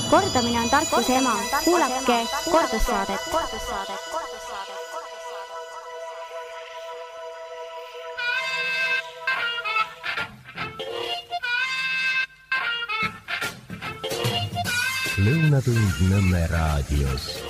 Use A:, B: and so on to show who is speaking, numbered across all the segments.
A: Kordamine on tarkuse ema. Kuulake kordussaadet.
B: Lõunatund Nõmme raadios.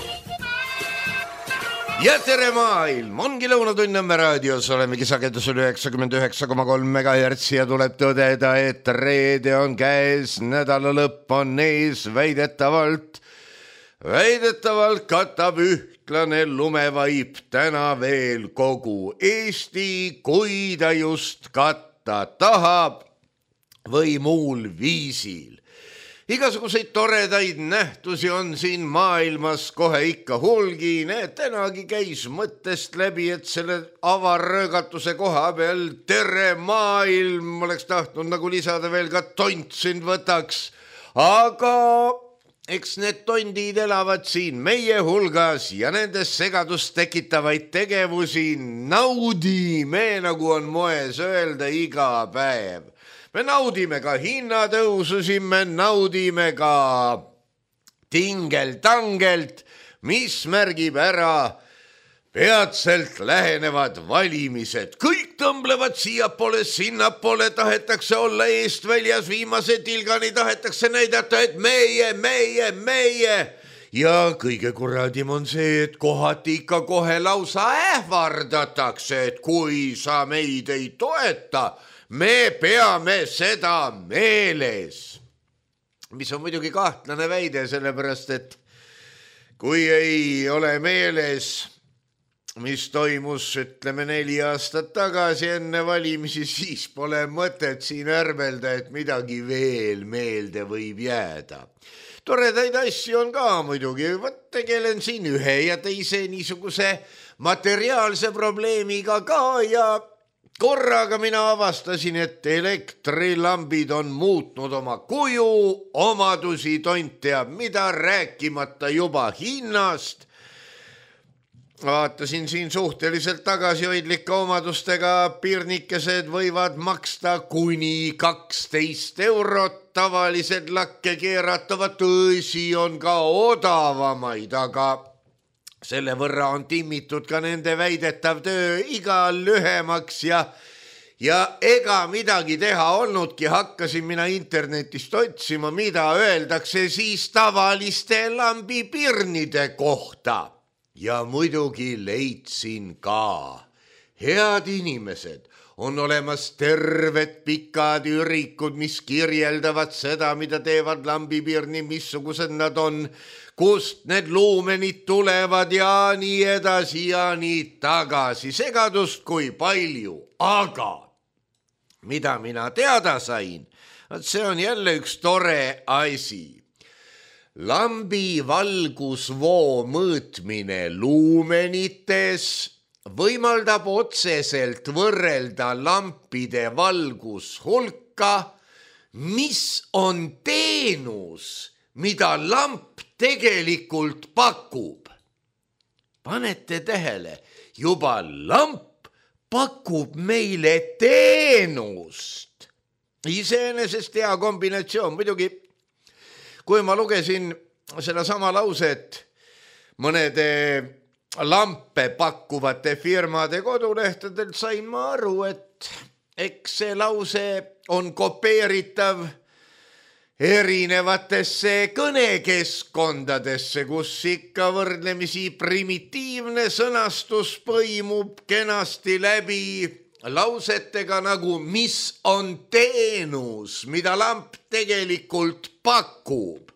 C: Ja tere maailm, ongi Lõunatund Nõmme raadios, olemegi sagedusel 99,3 MHz ja tuleb tõdeda, et reede on käes, nädala lõpp on ees, väidetavalt katab ühtlane lumevaip täna veel kogu Eesti, kui ta just katta tahab või muul viisil. Igasuguseid toredaid nähtusi on siin maailmas kohe ikka hulgi. Tänagi käis mõttest läbi, et selle avarröögatuse koha peal tere maailm oleks tahtnud nagu lisada veel ka tont sind võtaks. Aga eks need tondid elavad siin meie hulgas ja nendes segadust tekitavaid tegevusi naudime, nagu on moes öelda, iga päev. Me naudime ka hinnatõususi, me naudime ka tingel-tangelt, mis märgib ära peatselt lähenevad valimised. Kõik tõmblevad siiapoole, sinnapoole, tahetakse olla eest väljas, viimase tilgani tahetakse näidata, et meie. Ja kõige kuradim on see, et kohati ikka kohe lausa ähvardatakse, et kui sa meid ei toeta, me peame seda meeles. Mis on muidugi kahtlane väide, sellepärast, et kui ei ole meeles, mis toimus, ütleme 4 aastat tagasi enne valimisi, siis pole mõtet siin ärvelda, et midagi veel meelde võib jääda. Toredaid asju on ka muidugi, tegelen siin ühe ja teise niisuguse materiaalse probleemiga ka ja korraga mina avastasin, et elektrilambid on muutnud oma kuju, omadusi tont teab mida, rääkimata juba hinnast. Vaatasin siin suhteliselt tagasihoidlike omadustega pirnikesed võivad maksta kuni 12 €, tavalised lakke keeratavad, tõsi on ka odavamaid, aga selle võrra on timmitud ka nende väidetav töö igal lühemaks ja ega midagi teha olnudki, hakkasin mina internetist otsima, mida öeldakse siis tavaliste lambipirnide kohta. Ja muidugi leidsin ka. Head inimesed, on olemas terved pikad ürikud, mis kirjeldavad seda, mida teevad lambipirni, missugused nad on, kust need luumenid tulevad ja nii edasi ja nii tagasi. Segadust kui palju, aga mida mina teada sain, see on jälle üks tore asi. Lambi valgusvoo mõõtmine luumenites võimaldab otseselt võrrelda lampide valgushulka, mis on teenus, mida lamp tegelikult pakub. Panete tähele, juba lamp pakub meile teenust. Iseenesest hea kombinatsioon, muidugi kui ma lugesin selle sama lauset mõnede lampe pakkuvate firmade kodulehtedelt, sain ma aru, et eks see lause on kopeeritav erinevatesse kõnekeskkondadesse, kus ikka võrdlemisi primitiivne sõnastus põimub kenasti läbi lausetega nagu mis on teenus, mida lamp tegelikult pakub.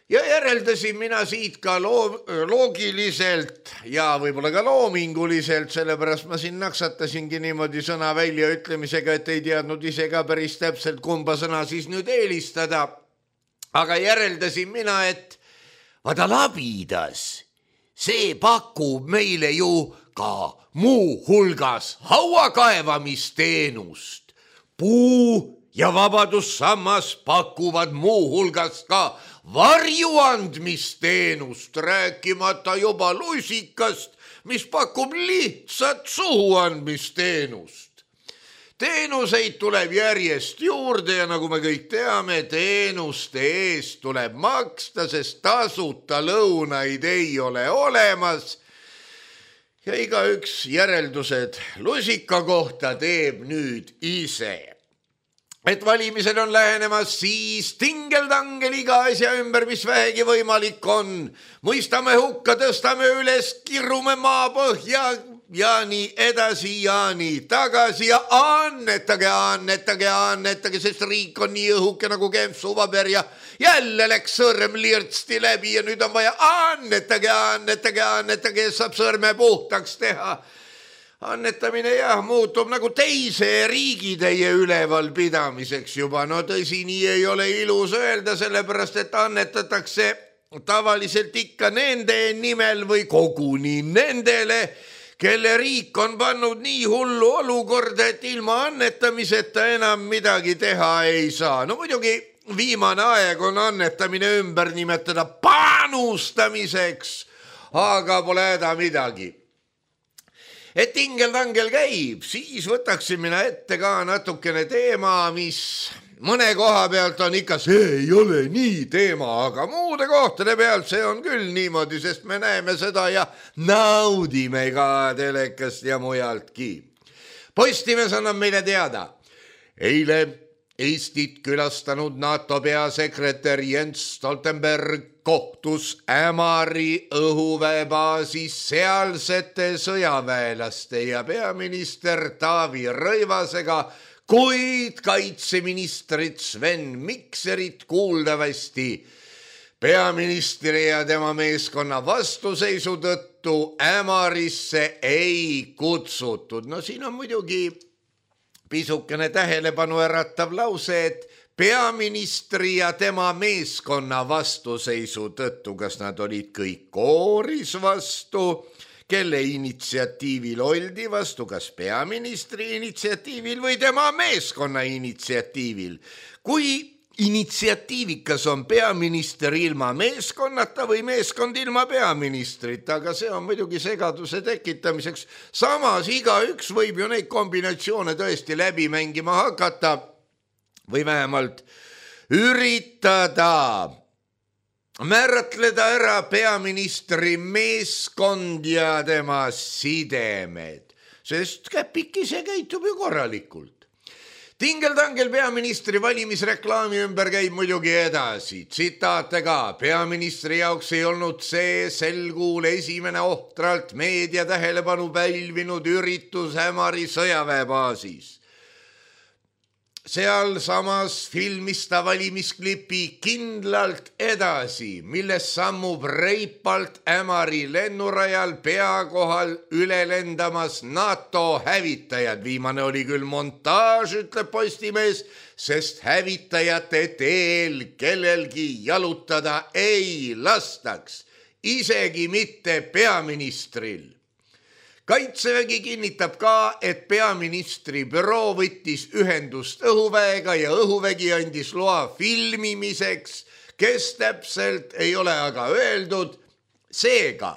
C: Ja järeldasin mina siit ka loogiliselt ja võib-olla ka loominguliselt, sellepärast ma siin naksatasingi niimoodi sõna väljaütlemisega, et ei teadnud ise ka päris täpselt, kumba sõna siis nüüd eelistada. Aga järeldasin mina, et vaata labidas, see pakub meile ju ka muu hulgas hauakaevamisteenust. Puu ja Vabadussammas pakuvad muu hulgas ka varjuandmisteenust, rääkimata juba lusikast, mis pakub lihtsat suhuandmisteenust. Teenuseid tuleb järjest juurde ja nagu me kõik teame, teenuste eest tuleb maksta, sest tasuta lõunaid ei ole olemas. Ja igaüks järeldused lusika kohta teeb nüüd ise. Et valimised on lähenemas, siis tingeldangel iga asja ümber, mis vähegi võimalik on. Mõistame hukka, tõstame üles, kirume maapõhja ja nii edasi ja nii tagasi ja annetage, sest riik on nii õhuke nagu kempsupaber ja jälle läks sõrm lirtsti läbi ja nüüd on vaja annetage, saab sõrme puhtaks teha. Annetamine muutub nagu teise riigitäie üleval pidamiseks juba. No tõsi, nii ei ole ilus öelda, sellepärast et annetatakse tavaliselt ikka nende nimel või koguni nendele, kelle riik on pannud nii hullu olukorda, et ilma annetamiseta enam midagi teha ei saa. No muidugi viimane aeg on annetamine ümber nimetada panustamiseks, aga pole häda midagi. Et tingeldangel käib, siis võtaksin mina ette ka natukene teema, mis mõne koha pealt on ikka, see ei ole nii teema, aga muude kohtade pealt see on küll niimoodi, sest me näeme seda ja naudime ka telekast ja mujaltki. Postimees annab meile teada. Eile Eestit külastanud NATO peasekretär Jens Stoltenberg kohtus Ämari õhuväebaasis sealsete sõjaväelaste ja peaminister Taavi Rõivasega, kuid kaitseministrit Sven Mikserit kuuldavasti peaministri ja tema meeskonna vastuseisu tõttu Ämarisse ei kutsutud. No siin on muidugi pisukene tähelepanu äratav lause, et peaministri ja tema meeskonna vastuseisu tõttu, kas nad olid kõik kooris vastu, kelle initsiatiivil oldi vastu, kas peaministri initsiatiivil või tema meeskonna initsiatiivil. Kui initsiatiivikas on peaminister ilma meeskonnata või meeskond ilma peaministrita, aga see on muidugi segaduse tekitamiseks. Samas igaüks võib ju neid kombinatsioone tõesti läbi mängima hakata või vähemalt üritada määratleda ära peaministri meeskond ja tema sidemed, sest käpik ise käitub ju korralikult. Tingeldangel peaministri valimisreklaami ümber käib muidugi edasi. Tsitaate ka, peaministri jaoks ei olnud see sel kuul esimene ohtralt meedia tähelepanu pälvinud üritus Ämari sõjaväebaasis. Seal samas filmis ta valimisklipi kindlalt edasi, milles sammub reipalt Ämari lennurajal pea kohal üle lendamas NATO hävitajad. Viimane oli küll montaaž, ütleb Postimees, sest hävitajate teel kellelgi jalutada ei lastaks, isegi mitte peaministril. Kaitsevägi kinnitab ka, et peaministri büroo võttis ühendust õhuväega ja õhuvägi andis loa filmimiseks, kes täpselt ei ole aga öeldud. Seega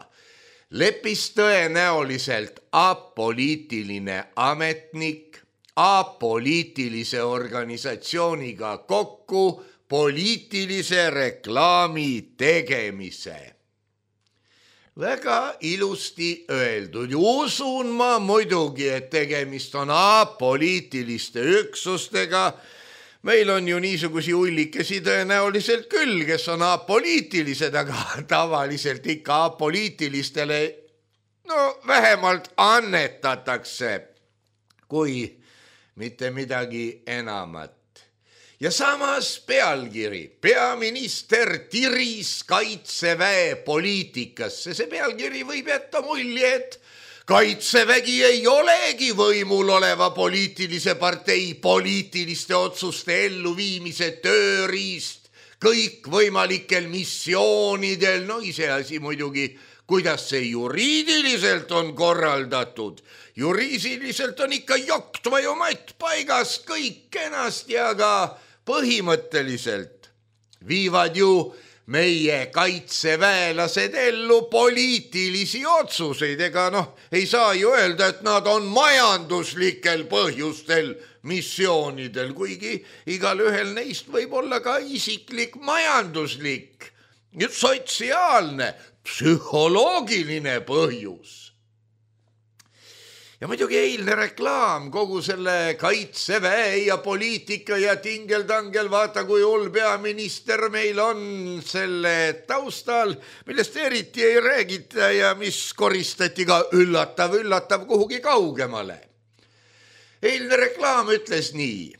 C: leppis tõenäoliselt apoliitiline ametnik apoliitilise organisatsiooniga kokku poliitilise reklaami tegemise. Väga ilusti öeldud. Usun ma muidugi, et tegemist on apoliitiliste üksustega. Meil on ju niisugusi ullikesi tõenäoliselt küll, kes on apoliitilised, aga tavaliselt ikka apoliitilistele vähemalt annetatakse, kui mitte midagi enamat. Ja samas pealkiri, peaminister tiris kaitseväe poliitikasse. See pealkiri võib jätta mulje, et kaitsevägi ei olegi võimul oleva poliitilise partei poliitiliste otsuste elluviimise tööriist kõikvõimalikel missioonidel. No iseasi muidugi, kuidas see juriidiliselt on korraldatud. Juriidiliselt on ikka joktva ju matt paigas kõik kenasti, aga põhimõtteliselt viivad ju meie kaitseväelased ellu poliitilisi otsuseid, ega ei saa ju öelda, et nad on majanduslikel põhjustel missioonidel, kuigi igal ühel neist võib olla ka isiklik majanduslik, sotsiaalne, psühholoogiline põhjus. Ja muidugi eilne reklaam kogu selle kaitseväe ja poliitika ja tingeldangel, vaata kui hull peaminister meil on selle taustal, millest eriti ei räägita ja mis koristati ka üllatav kuhugi kaugemale. Eilne reklaam ütles nii: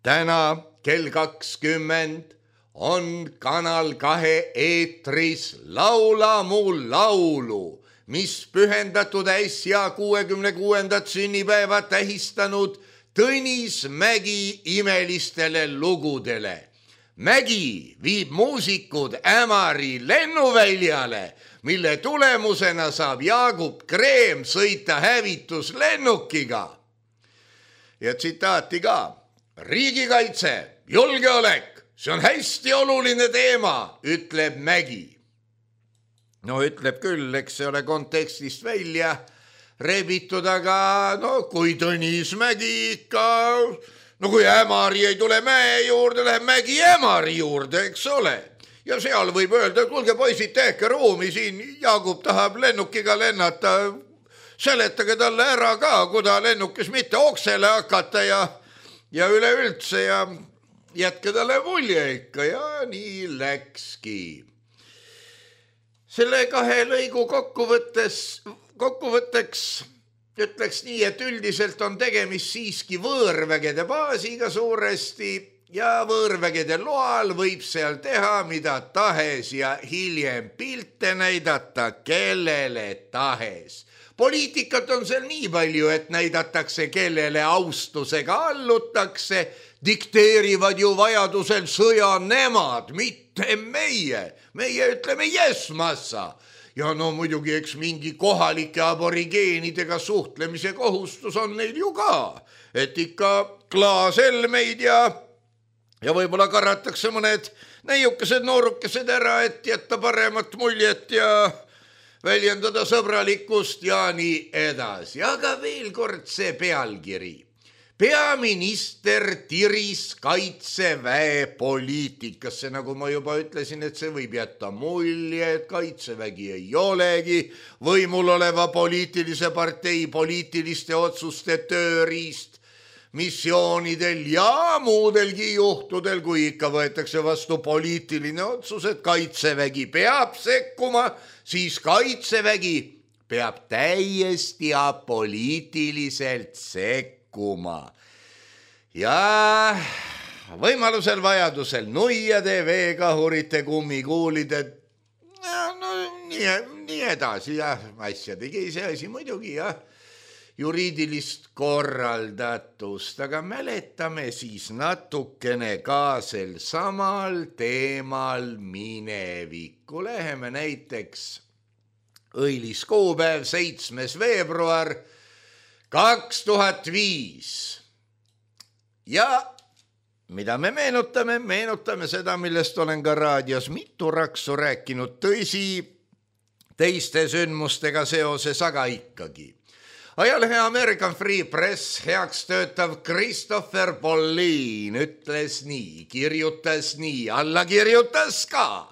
C: täna kell 20 on Kanal 2 eetris Laula mu laulu, mis pühendatud äsja 66. sünnipäeva tähistanud Tõnis Mägi imelistele lugudele. Mägi viib muusikud Ämari lennuväljale, mille tulemusena saab Jaagup Kreem sõita hävituslennukiga. Ja tsitaati ka: riigikaitse, julgeolek, see on hästi oluline teema, ütleb Mägi. Ütleb küll, eks see ole kontekstist välja rebitud, aga kui Tõnis Mägi ikka, kui Ämari ei tule mäe juurde, läheb Mägi Ämari juurde, eks ole. Ja seal võib öelda, et kuulge poisid, tehke ruumi siin, Jaagup tahab lennukiga lennata, seletage talle ära ka, kui ta lennukis mitte oksele hakata ja üleüldse ja jätke talle mulje ikka ja nii läkski. Selle kahe lõigu kokkuvõtteks ütleks nii, et üldiselt on tegemist siiski võõrvägede baasiga suuresti ja võõrvägede loal võib seal teha mida tahes ja hiljem pilte näidata kellele tahes. Poliitikat on seal nii palju, et näidatakse kellele austusega allutakse, dikteerivad ju vajadusel sõja nemad, mitte meie. Meie ütleme yes massa. Ja muidugi eks mingi kohalike aborigeenidega suhtlemise kohustus on neil ju ka. Et ikka klaaselmeid ja võib-olla karratakse mõned neiukesed noorukesed ära, et jätta paremat muljet ja väljendada sõbralikkust ja nii edasi. Aga veel kord see pealkiri. Peaminister tiris kaitseväe poliitikasse, nagu ma juba ütlesin, et see võib jätta mulje, et kaitsevägi ei olegi võimul oleva poliitilise partei poliitiliste otsuste tööriist missioonidel ja muudelgi juhtudel, kui ikka võetakse vastu poliitiline otsus, et kaitsevägi peab sekkuma, siis kaitsevägi peab täiesti apoliitiliselt sekkuma. Ja võimalusel vajadusel nuiade, veekahurite, kummikuulide, nii edasi ja asjadegi see asi muidugi ja juriidilist korraldatust, aga mäletame siis natukene ka sel samal teemal minevikku. Läheme näiteks õilis kuupäev 7. veebruar 2005 ja mida me meenutame? Meenutame seda, millest olen ka raadios mitu raksu rääkinud, tõsi, teiste sündmustega seoses, aga ikkagi. Ajalehe American Free Press heaks töötav Christopher Pauline ütles nii, kirjutas nii, alla kirjutas ka.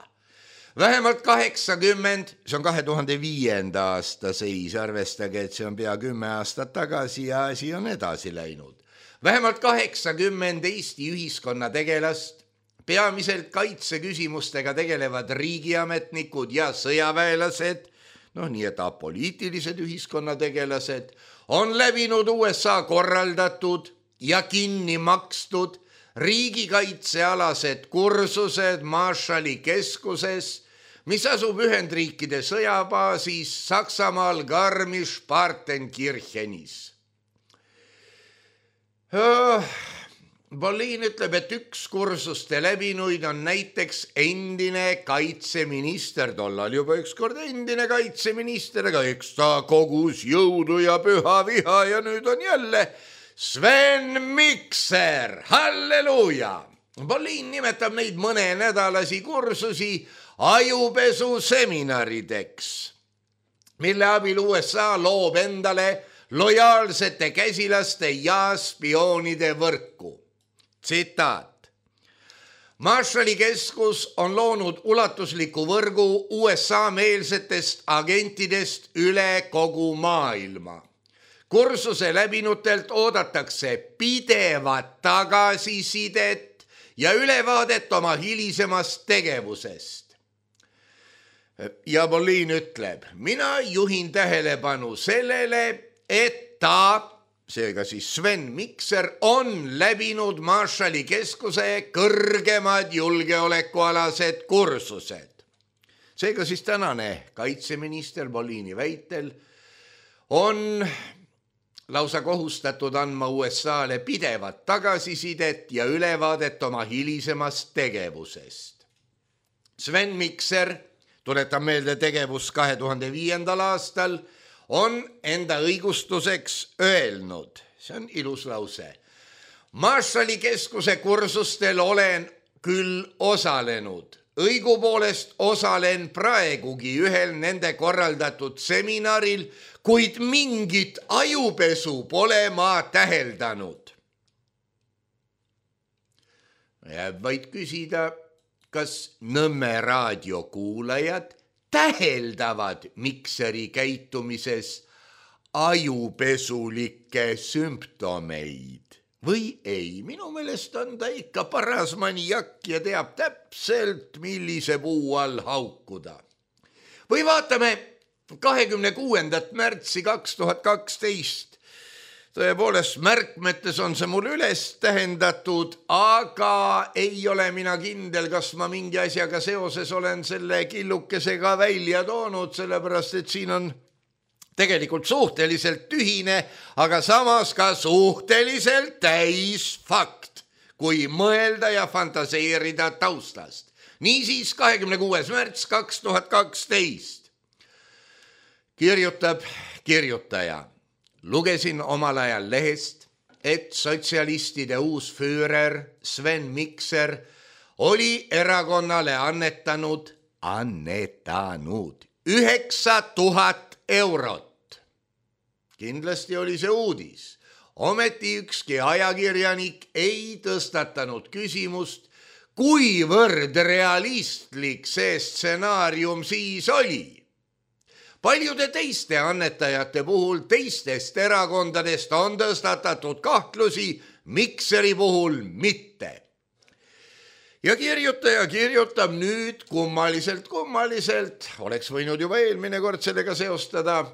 C: Vähemalt 80, see on 2005. aasta seis, arvestage, et see on pea 10 aastat tagasi ja asi on edasi läinud. Vähemalt 80 Eesti ühiskonna tegelast, peamiselt kaitseküsimustega tegelevad riigiametnikud ja sõjaväelased, nii et apoliitilised ühiskonnategelased, on läbinud USA korraldatud ja kinni makstud riigikaitsealased kursused Marshalli keskuses, mis asub Ühendriikide sõjabaasis Saksamaal Garmisch-Partenkirchenis. Pauline ütleb, et üks kursuste läbinuid on näiteks endine kaitseminister, tollal juba ükskord endine kaitseminister, aga eks ta kogus jõudu ja püha viha ja nüüd on jälle Sven Mikser, halleluuja! Pauline nimetab neid mõnenädalasi kursusi ajupesu seminarideks, mille abil USA loob endale lojaalsete käsilaste ja spioonide võrku. Tsitaat. Marshalli keskus on loonud ulatusliku võrgu USA-meelsetest agentidest üle kogu maailma. Kursuse läbinutelt oodatakse pidevat tagasisidet ja ülevaadet oma hilisemast tegevusest. Ja Bolin ütleb, mina juhin tähelepanu sellele, et ta, seega siis Sven Mikser, on läbinud Marshalli keskuse kõrgemad julgeolekualased kursused. Seega siis tänane kaitseminister Bolini väitel on lausa kohustatud andma USA-le pidevat tagasisidet ja ülevaadet oma hilisemast tegevusest. Sven Mikser, tuletan meelde tegevus 2005. aastal, on enda õigustuseks öelnud, see on ilus lause, Marshalli keskuse kursustel olen küll osalenud, õigupoolest osalen praegugi ühel nende korraldatud seminaril, kuid mingit ajupesu pole ma täheldanud. Jääb vaid küsida, kas Nõmme raadio kuulajad täheldavad Mikseri käitumises ajupesulikke sümptomeid või ei. Minu meelest on ta ikka paras maniak ja teab täpselt, millise puu all haukuda. Või vaatame 26. märtsi 2012. Tõepoolest, märkmetes on see mul üles tähendatud, aga ei ole mina kindel, kas ma mingi asjaga seoses olen selle killukesega välja toonud, sellepärast et siin on tegelikult suhteliselt tühine, aga samas ka suhteliselt täis fakt, kui mõelda ja fantaseerida taustast. Niisiis 26. märts 2012 kirjutab kirjutaja. Lugesin omal ajal lehest, et sotsialistide uus füürer Sven Mikser oli erakonnale annetanud 9000 eurot. Kindlasti oli see uudis. Ometi ükski ajakirjanik ei tõstatanud küsimust, kuivõrd realistlik see stsenaarium siis oli. Paljude teiste annetajate puhul teistest erakondadest on tõstatatud kahtlusi, Mikseri puhul mitte. Ja kirjutaja kirjutab nüüd kummaliselt, oleks võinud juba eelmine kord sellega seostada,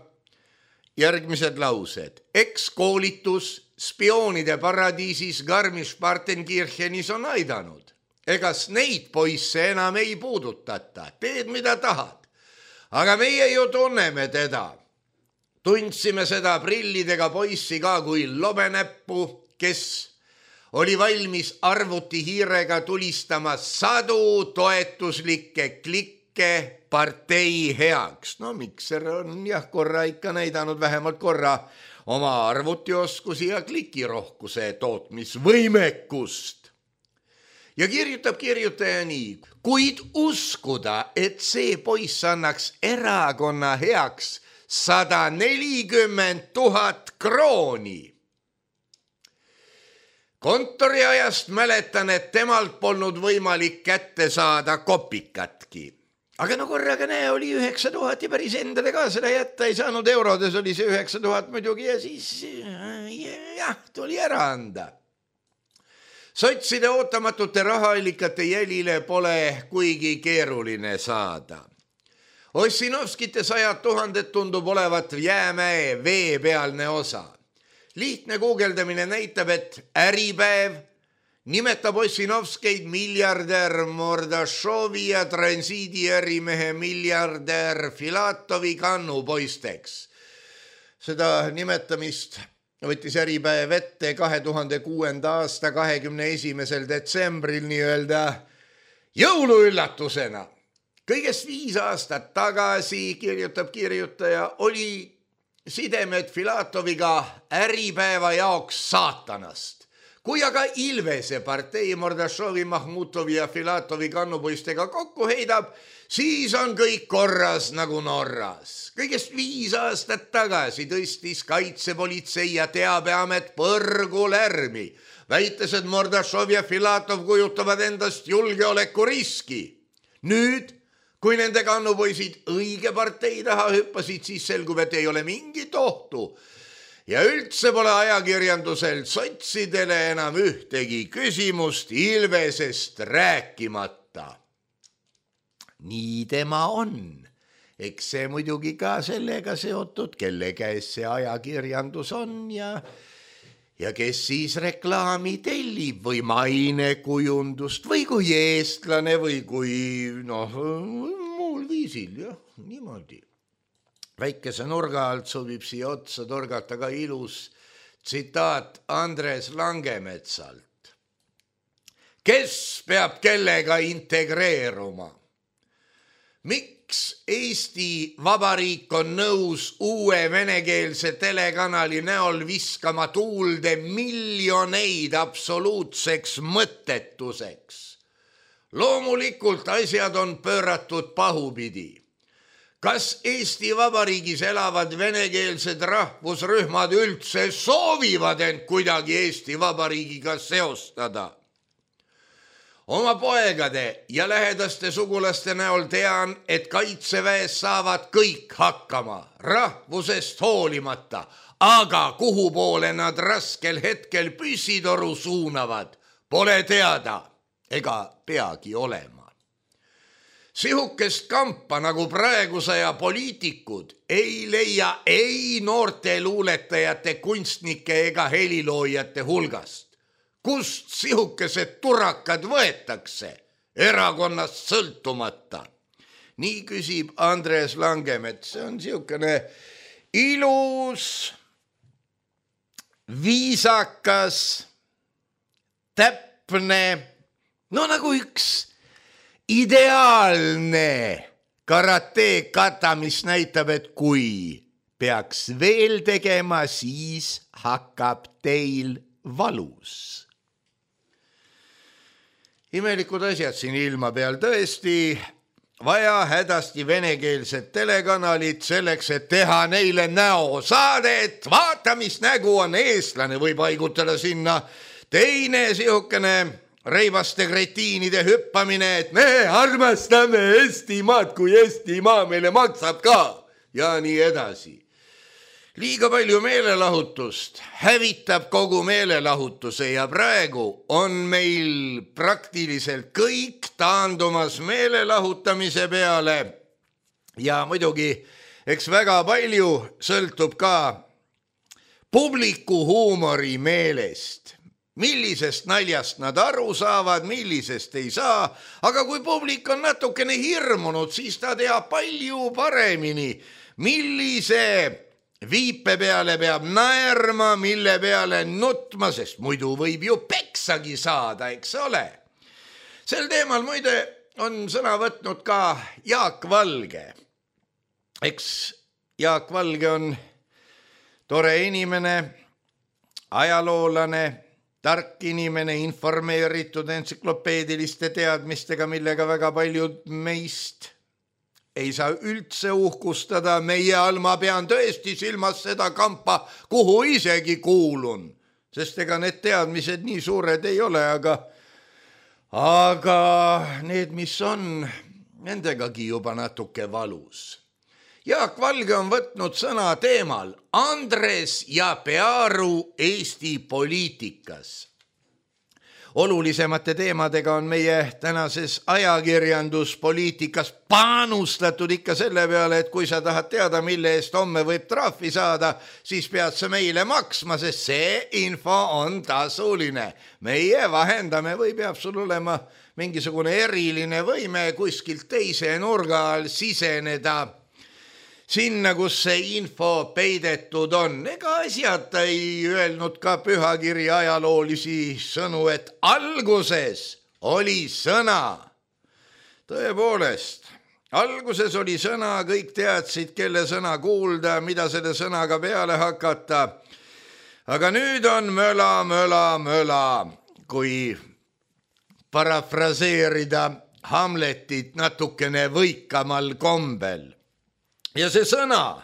C: järgmised laused. Ekskoolitus spioonide paradiisis Garmisch-Partenkirchenis on aidanud. Egas neid poisse enam ei puudutata, teed mida tahad. Aga meie ju tunneme teda. Tundsime seda prillidega poissi ka kui lobenäppu, kes oli valmis arvutihiirega tulistama sadu toetuslikke klikke partei heaks. No Mikser on korra ikka näidanud vähemalt korra oma arvutioskusi ja klikirohkuse tootmisvõimekust. Ja kirjutab kirjutaja nii, kuid uskuda, et see poiss annaks erakonna heaks 140 000 krooni. Kontoriajast mäletan, et temalt polnud võimalik kätte saada kopikatki. Aga no korraga näe, oli 9000 ja päris endale ka seda jätta ei saanud, eurodes oli see 9000 muidugi ja siis tuli ära anda. Sotside ootamatute rahaallikate jälile pole kuigi keeruline saada. Ossinovskite 100 000 tundub olevat jäämäe veepealne osa. Lihtne guugeldamine näitab, et Äripäev nimetab Ossinovskeid miljardär Mordashovi ja transiidi ärimehe miljardär Filatovi kannupoisteks. Seda nimetamist võttis Äripäev ette 2006. aasta 21. detsembril nii-öelda jõuluüllatusena. Kõigest 5 aastat tagasi, kirjutab kirjutaja, oli sidemed Filatoviga Äripäeva jaoks saatanast. kui aga Ilvese partei Mordashovi, Mahmutovi ja Filatovi kannupoistega kokku heidab, siis on kõik korras nagu Norras. Kõigest 5 aastat tagasi tõstis kaitsepolitsei ja teabeamet põrgu lärmi, väites, et Mordashov ja Filatov kujutavad endast julgeolekuriski. Nüüd, kui nende kannupoisid õige partei taha hüppasid, siis selgub, et ei ole mingit ohtu. Ja üldse pole ajakirjandusel sotsidele enam ühtegi küsimust Ilvesest rääkimata. Nii tema on. Eks see muidugi ka sellega seotud, kelle käes see ajakirjandus on ja kes siis reklaami tellib või mainekujundust või kui eestlane või kui muul viisil, jah, niimoodi. Väikese nurga alt sobib siia otsa torgata ka ilus tsitaat Andres Langemetsalt. Kes peab kellega integreeruma? Miks Eesti Vabariik on nõus uue venekeelse telekanali näol viskama tuulde miljoneid absoluutseks mõttetuseks? Loomulikult asjad on pööratud pahupidi. Kas Eesti Vabariigis elavad venekeelsed rahvusrühmad üldse soovivad end kuidagi Eesti Vabariigiga seostada? Oma poegade ja lähedaste sugulaste näol tean, et kaitseväes saavad kõik hakkama, rahvusest hoolimata, aga kuhu poole nad raskel hetkel püssitoru suunavad, pole teada ega peagi olema. Sihukest kampa nagu praegusaja poliitikud ei leia ei noorte luuletajate, kunstnike ega heliloojate hulgast. Kust sihukesed turakad võetakse erakonnast sõltumata? Nii küsib Andres Langemets. See on sihukene ilus, viisakas, täpne, nagu üks ideaalne karate kata, mis näitab, et kui peaks veel tegema, siis hakkab teil valus. Imelikud asjad siin ilma peal, tõesti vaja hädasti venekeelset telekanalit selleks, et teha neile näosaadet. Vaata, mis nägu on eestlane, või paigutada sinna teine sihukene reivaste kretiinide hüppamine, et me armastame Eestimaad, kui Eestimaa meile maksab ka ja nii edasi. Liiga palju meelelahutust hävitab kogu meelelahutuse ja praegu on meil praktiliselt kõik taandumas meelelahutamise peale ja muidugi eks väga palju sõltub ka publiku huumori meelest. Millisest naljast nad aru saavad, millisest ei saa, aga kui publik on natukene hirmunud, siis ta teab palju paremini, millise viipe peale peab naerma, mille peale nutma, sest muidu võib ju peksagi saada, eks ole. Sel teemal muide on sõna võtnud ka Jaak Valge. Eks Jaak Valge on tore inimene, ajaloolane, tark inimene, informeeritud entsüklopeediliste teadmistega, millega väga paljud meist ei saa üldse uhkustada. Meie all ma pean tõesti silmas seda kampa, kuhu isegi kuulun, sest ega need teadmised nii suured ei ole, aga need, mis on, nendegagi juba natuke valus. Jaak Valge on võtnud sõna teemal Andres ja Pearu Eesti poliitikas. Olulisemate teemadega on meie tänases ajakirjanduspoliitikas panustatud ikka selle peale, et kui sa tahad teada, mille eest homme võib trahvi saada, siis pead sa meile maksma, sest see info on tasuline. Meie vahendame või peab sul olema mingisugune eriline võime kuskilt teise nurga all siseneda sinna, kus see info peidetud on. Ega asjata ei öelnud ka pühakiri ajaloolisi sõnu, et alguses oli sõna. Tõepoolest, alguses oli sõna, kõik teadsid, kelle sõna kuulda, mida selle sõnaga peale hakata. aga nüüd on möla, kui parafraseerida Hamletit natukene võikamal kombel. Ja see sõna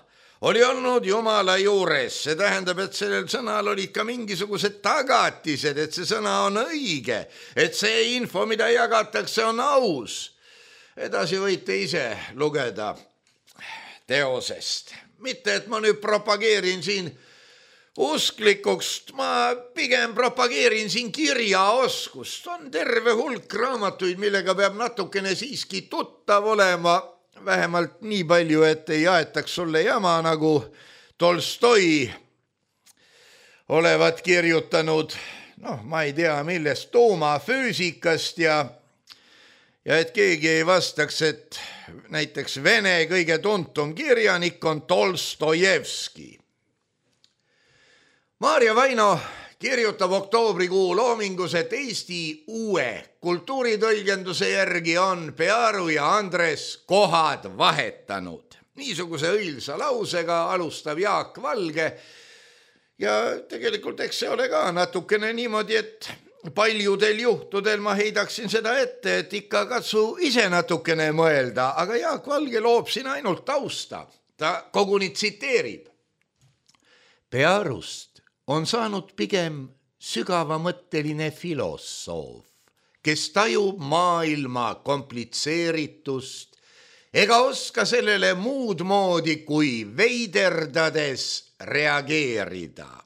C: oli olnud Jumala juures, see tähendab, et sellel sõnal olid ka mingisugused tagatised, et see sõna on õige, et see info, mida jagatakse, on aus. Edasi võite ise lugeda teosest. Mitte, et ma nüüd propageerin siin usklikuks, ma pigem propageerin siin kirjaoskust. On terve hulk raamatuid, millega peab natukene siiski tuttav olema, vähemalt nii palju, et ei aetaks sulle jama, nagu Tolstoi olevat kirjutanud, ma ei tea millest, tuumafüüsikast ja et keegi ei vastaks, et näiteks Vene kõige tuntum kirjanik on Tolstojevski. Maarja Vaino kirjutab oktoobrikuu loomingus, et Eesti uue kultuuritõlgenduse järgi on Pearu ja Andres kohad vahetanud. Niisuguse õilsa lausega alustab Jaak Valge ja tegelikult eks see ole ka natukene niimoodi, et paljudel juhtudel ma heidaksin seda ette, et ikka katsu ise natukene mõelda, aga Jaak Valge loob siin ainult tausta. Ta koguni tsiteerib. Pearust on saanud pigem sügavamõtteline filosoof, kes tajub maailma komplitseeritust ega oska sellele muud moodi kui veiderdades reageerida.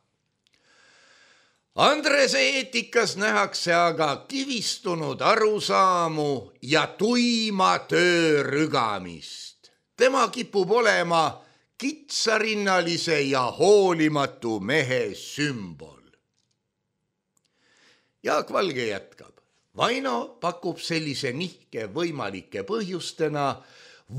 C: Andrese eetikas nähakse aga kivistunud arusaamu ja tuima töörügamist. Tema kipub olema kitsarinnalise ja hoolimatu mehe sümbol. Jaak Valge jätkab. Vaino pakub sellise nihke võimalike põhjustena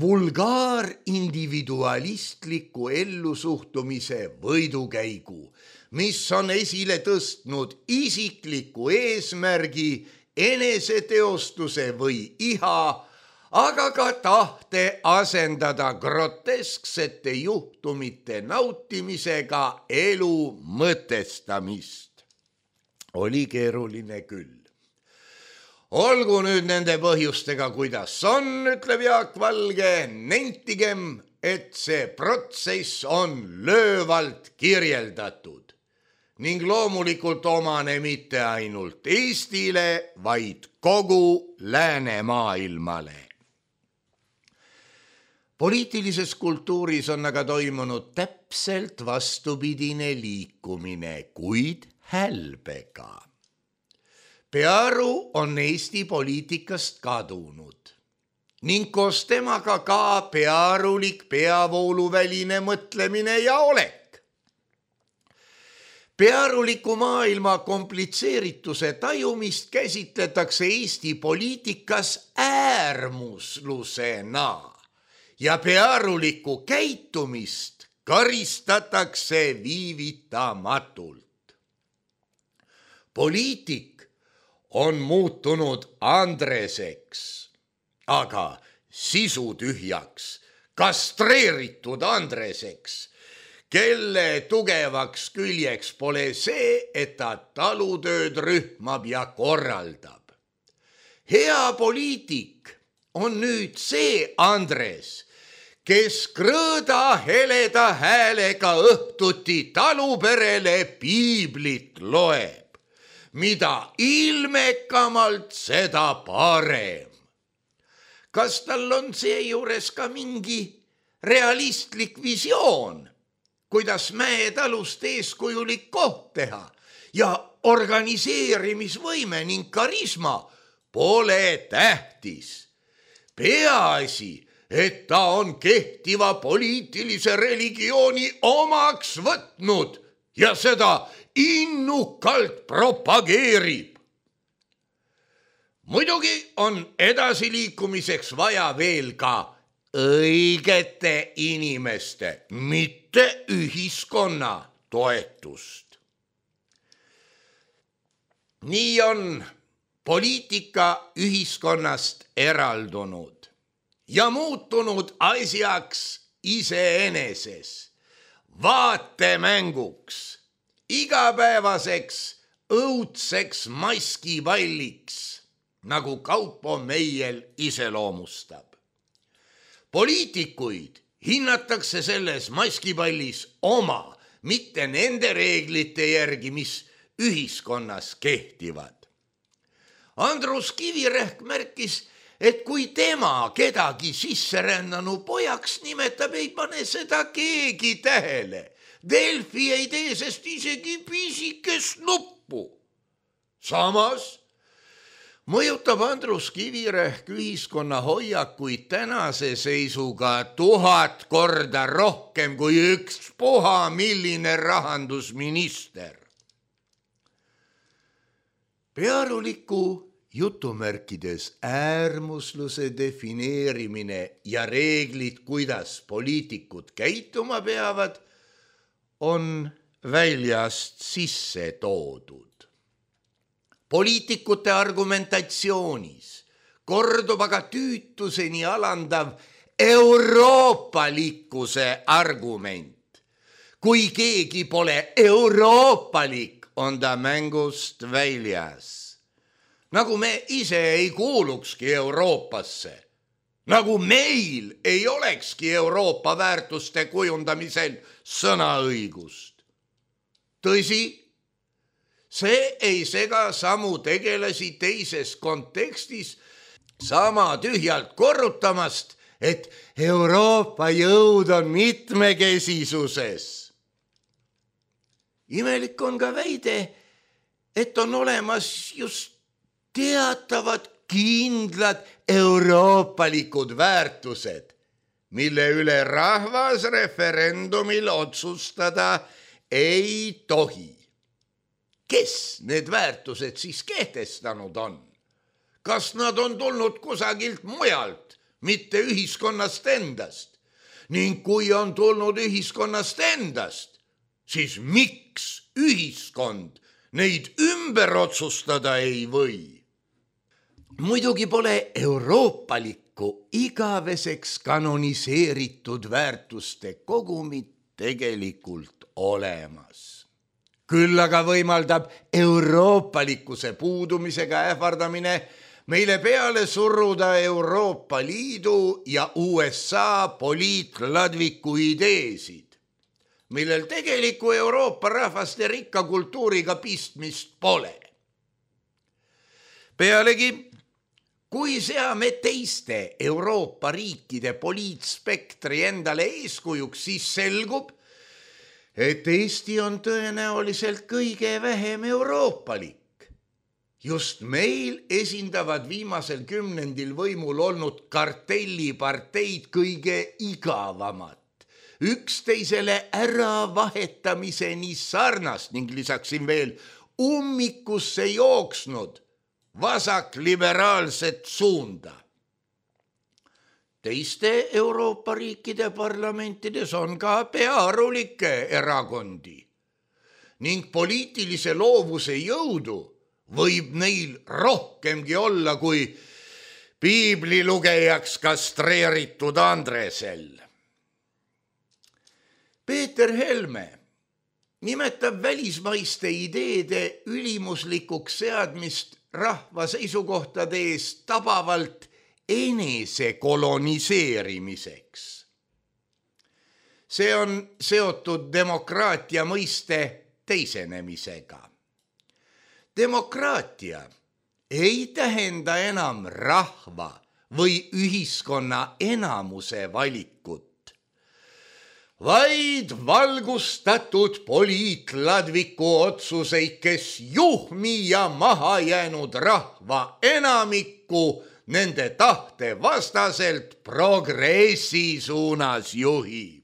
C: vulgaarindividualistliku ellusuhtumise võidukäigu, mis on esile tõstnud isikliku eesmärgi, eneseteostuse või iha, aga ka tahte asendada grotesksete juhtumite nautimisega elu mõtestamist. Oli keeruline küll. Olgu nüüd nende põhjustega, kuidas on, ütleb Jaak Valge, nentigem, et see protsess on löövalt kirjeldatud ning loomulikult omane mitte ainult Eestile, vaid kogu läänemaailmale. Poliitilises kultuuris on aga toimunud täpselt vastupidine liikumine, kuid hälbega. Pearu on Eesti poliitikast kadunud ning koos temaga ka pearulik peavooluväline mõtlemine ja olek. Pearuliku maailma komplitseerituse tajumist käsitletakse Eesti poliitikas äärmuslusena ja pearulikku käitumist karistatakse viivitamatult. Poliitik on muutunud Andreseks, aga sisutühjaks, kastreeritud Andreseks, kelle tugevaks küljeks pole see, et ta talutööd rühmab ja korraldab. Hea poliitik on nüüd see Andres, kes krõõda heleda häälega õhtuti taluperele piiblit loeb. Mida ilmekamalt, seda parem. Kas tal on seejuures ka mingi realistlik visioon, kuidas mäetalust eeskujulik koht teha ja organiseerimisvõime ning karisma pole tähtis. Peaasi, et ta on kehtiva poliitilise religiooni omaks võtnud ja seda innukalt propageerib. Muidugi on edasiliikumiseks vaja veel ka õigete inimeste, mitte ühiskonna toetust. Nii on poliitika ühiskonnast eraldunud ja muutunud asjaks iseeneses, vaatemänguks, igapäevaseks õudseks maskipalliks, nagu Kaupo Meiel iseloomustab. Poliitikuid hinnatakse selles maskipallis oma, mitte nende reeglite järgi, mis ühiskonnas kehtivad. Andrus Kivirähk märkis, et kui tema kedagi sisserännanu pojaks nimetab, ei pane seda keegi tähele. Delfi ei tee sest isegi pisikest nuppu. Samas mõjutab Andrus Kivirähk ühiskonna hoiakuid tänase seisuga 1000 korda rohkem kui ükspuha milline rahandusminister. Pearuliku jutumärkides äärmusluse defineerimine ja reeglid, kuidas poliitikud käituma peavad, on väljast sisse toodud. Poliitikute argumentatsioonis kordub aga tüütuseni alandav euroopalikkuse argument. Kui keegi pole euroopalik, on ta mängust väljas. Nagu me ise ei kuulukski Euroopasse. Nagu meil ei olekski Euroopa väärtuste kujundamisel sõnaõigust. Tõsi, see ei sega samu tegelasi teises kontekstis sama tühjalt korrutamast, et Euroopa jõud on mitmekesisuses. Imelik on ka väide, et on olemas just teatavad kindlad euroopalikud väärtused, mille üle rahvas referendumil otsustada ei tohi. Kes need väärtused siis kehtestanud on? Kas nad on tulnud kusagilt mujalt, mitte ühiskonnast endast? Ning kui on tulnud ühiskonnast endast, siis miks ühiskond neid ümber otsustada ei või? Muidugi pole euroopalikku igaveseks kanoniseeritud väärtuste kogumit tegelikult olemas. Küll aga võimaldab euroopalikkuse puudumisega ähvardamine meile peale surruda Euroopa Liidu ja USA poliitladviku ideesid, millel tegeliku Euroopa rahvaste rikka kultuuriga pistmist pole. Pealegi, kui seame teiste Euroopa riikide poliitspektri endale eeskujuks, siis selgub, et Eesti on tõenäoliselt kõige vähem euroopalik. Just meil esindavad viimasel kümnendil võimul olnud kartelliparteid kõige igavamat, üksteisele äravahetamise sarnast ning lisaksin veel ummikusse jooksnud vasakliberaalset suunda. Teiste Euroopa riikide parlamentides on ka pearulikke erakondi ning poliitilise loovuse jõudu võib neil rohkemgi olla kui piiblilugejaks kastreeritud Andresel. Peeter Helme nimetab välismaiste ideede ülimuslikuks seadmist rahva seisukohtade eest tabavalt enese koloniseerimiseks. See on seotud demokraatia mõiste teisenemisega. Demokraatia ei tähenda enam rahva või ühiskonna enamuse valikut, vaid valgustatud poliitladviku otsuseid, kes juhmi ja maha jäänud rahva enamikku nende tahte vastaselt progressi suunas juhib.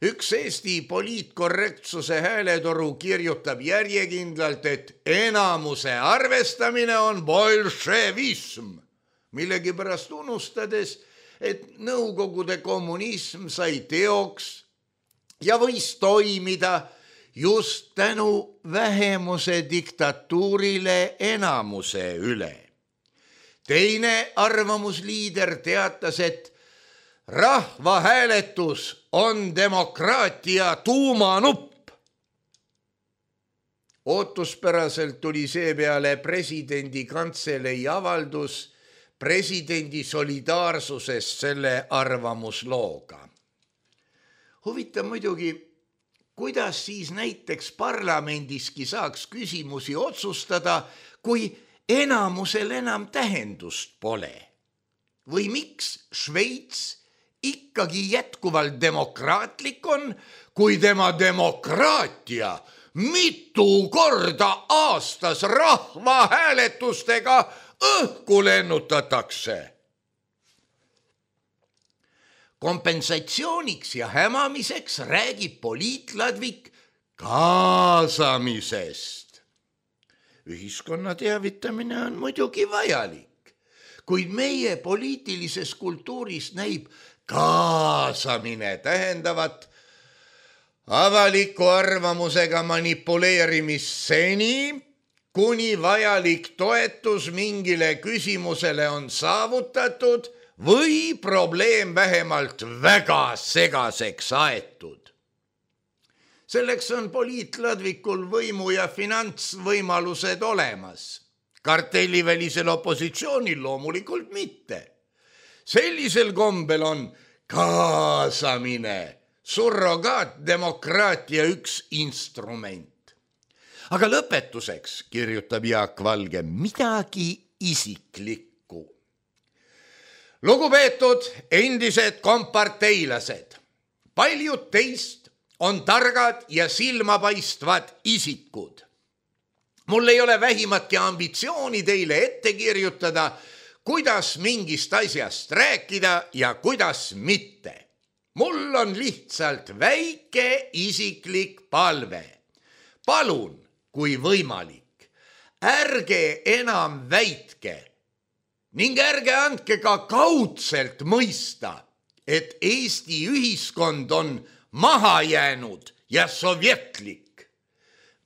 C: Üks Eesti poliitkorrektsuse hääletoru kirjutab järjekindlalt, et enamuse arvestamine on bolševism, millegipärast unustades, et Nõukogude kommunism sai teoks ja võis toimida just tänu vähemuse diktatuurile enamuse üle. Teine arvamusliider teatas, et rahvahääletus on demokraatia tuumanupp. ootuspäraselt tuli seepeale presidendi kantselei avaldus presidendi solidaarsusest selle arvamuslooga. Huvitav muidugi, kuidas siis näiteks parlamendiski saaks küsimusi otsustada, kui enamusel enam tähendust pole? Või miks Šveits ikkagi jätkuvalt demokraatlik on, kui tema demokraatia mitu korda aastas rahvahääletustega õhku lennutatakse? Kompensatsiooniks ja hämamiseks räägib poliitladvik kaasamisest. Ühiskonna teavitamine on muidugi vajalik, kuid meie poliitilises kultuuris näib kaasamine tähendavat avaliku arvamusega manipuleerimist seni, kuni vajalik toetus mingile küsimusele on saavutatud või probleem vähemalt väga segaseks aetud. Selleks on poliitladvikul võimu ja finantsvõimalused olemas. Kartellivälisel opositsioonil loomulikult mitte. Sellisel kombel on kaasamine surrogaatdemokraatia üks instrument. Aga lõpetuseks kirjutab Jaak Valge midagi isiklikku. Lugupeetud endised komparteilased, paljud teist on targad ja silmapaistvad isikud. Mul ei ole vähimatki ambitsiooni teile ette kirjutada, kuidas mingist asjast rääkida ja kuidas mitte. Mul on lihtsalt väike isiklik palve. Palun, kui võimalik, ärge enam väitke ning ärge andke ka kaudselt mõista, et Eesti ühiskond on maha jäänud ja sovjetlik.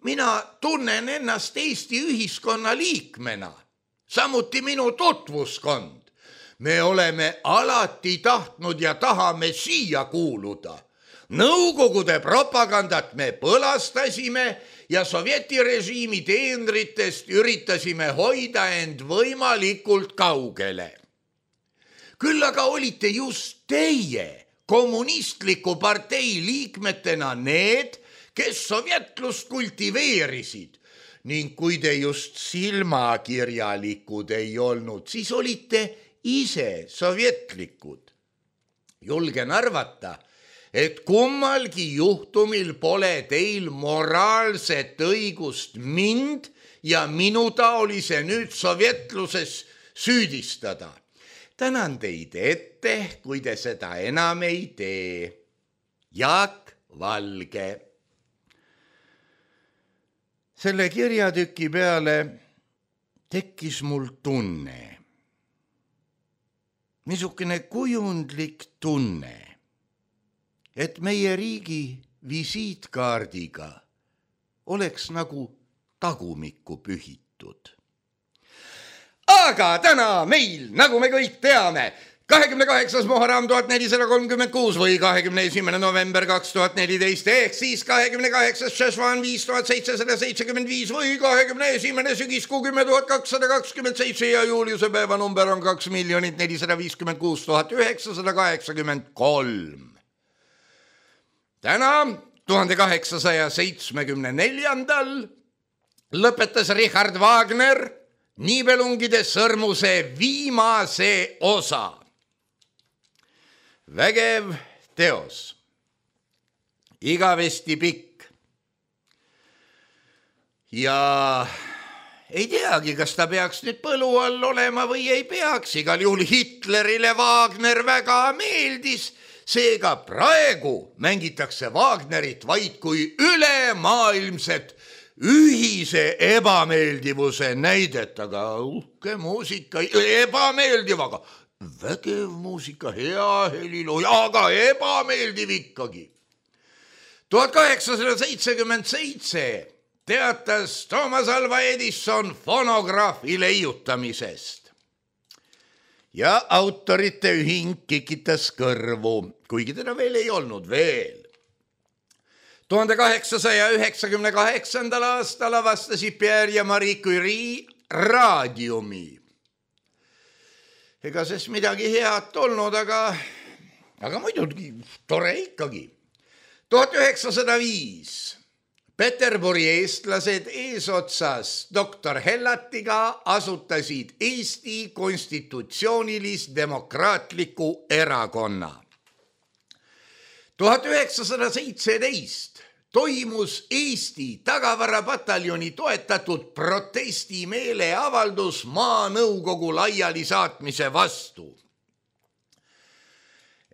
C: Mina tunnen ennast Eesti ühiskonna liikmena, samuti minu tutvuskond. Me oleme alati tahtnud ja tahame siia kuuluda. Nõukogude propagandat me põlastasime ja sovjetirežiimi teenritest üritasime hoida end võimalikult kaugele. Küll aga olite just teie kommunistliku partei liikmetena need, kes sovjetlust kultiveerisid ning kui te just silmakirjalikud ei olnud, siis olite ise sovjetlikud. Julgen arvata, et kummalgi juhtumil pole teil moraalset õigust mind ja minutaolise nüüd sovjetluses süüdistada. Tänan teid ette, kui te seda enam ei tee. Jaak Valge. Selle kirjatüki peale tekkis mul tunne. Niisugune kujundlik tunne, et meie riigi visiitkaardiga oleks nagu tagumikku pühitud. Aga täna meil, nagu me kõik teame, 28. Muharram 1436 või 21. november 2014 ehk siis 28. Šešvan 5775 või 21. sügiskuu 10.227 ja Juliuse päeva number on 2,456,983. Täna 1874. lõpetas Richard Wagner Niibelungide sõrmuse viimase osa. Vägev teos, igavesti pikk ja ei teagi, kas ta peaks nüüd põlu all olema või ei peaks. Igal juhul Hitlerile Wagner väga meeldis, seega praegu mängitakse Wagnerit vaid kui ülemaailmset ühise ebameeldivuse näidet, aga uhke muusika, ebameeldiv, aga vägev muusika, hea heliloo, aga ebameeldiv ikkagi. 1877 teatas Thomas Alva Edison fonograafi leiutamisest ja autorite ühing kikitas kõrvu, kuigi teda veel ei olnud veel. 1898. aastal avastasid Pierre ja Marie Curie raadiumi. Ega sest midagi head olnud, aga muidugi tore ikkagi. 1905 Peterburi eestlased eesotsas doktor Hellatiga asutasid Eesti konstitutsioonilis-demokraatliku erakonna. 1917 toimus Eesti tagavarapataljoni toetatud protestimeeleavaldus Maanõukogu laialisaatmise vastu.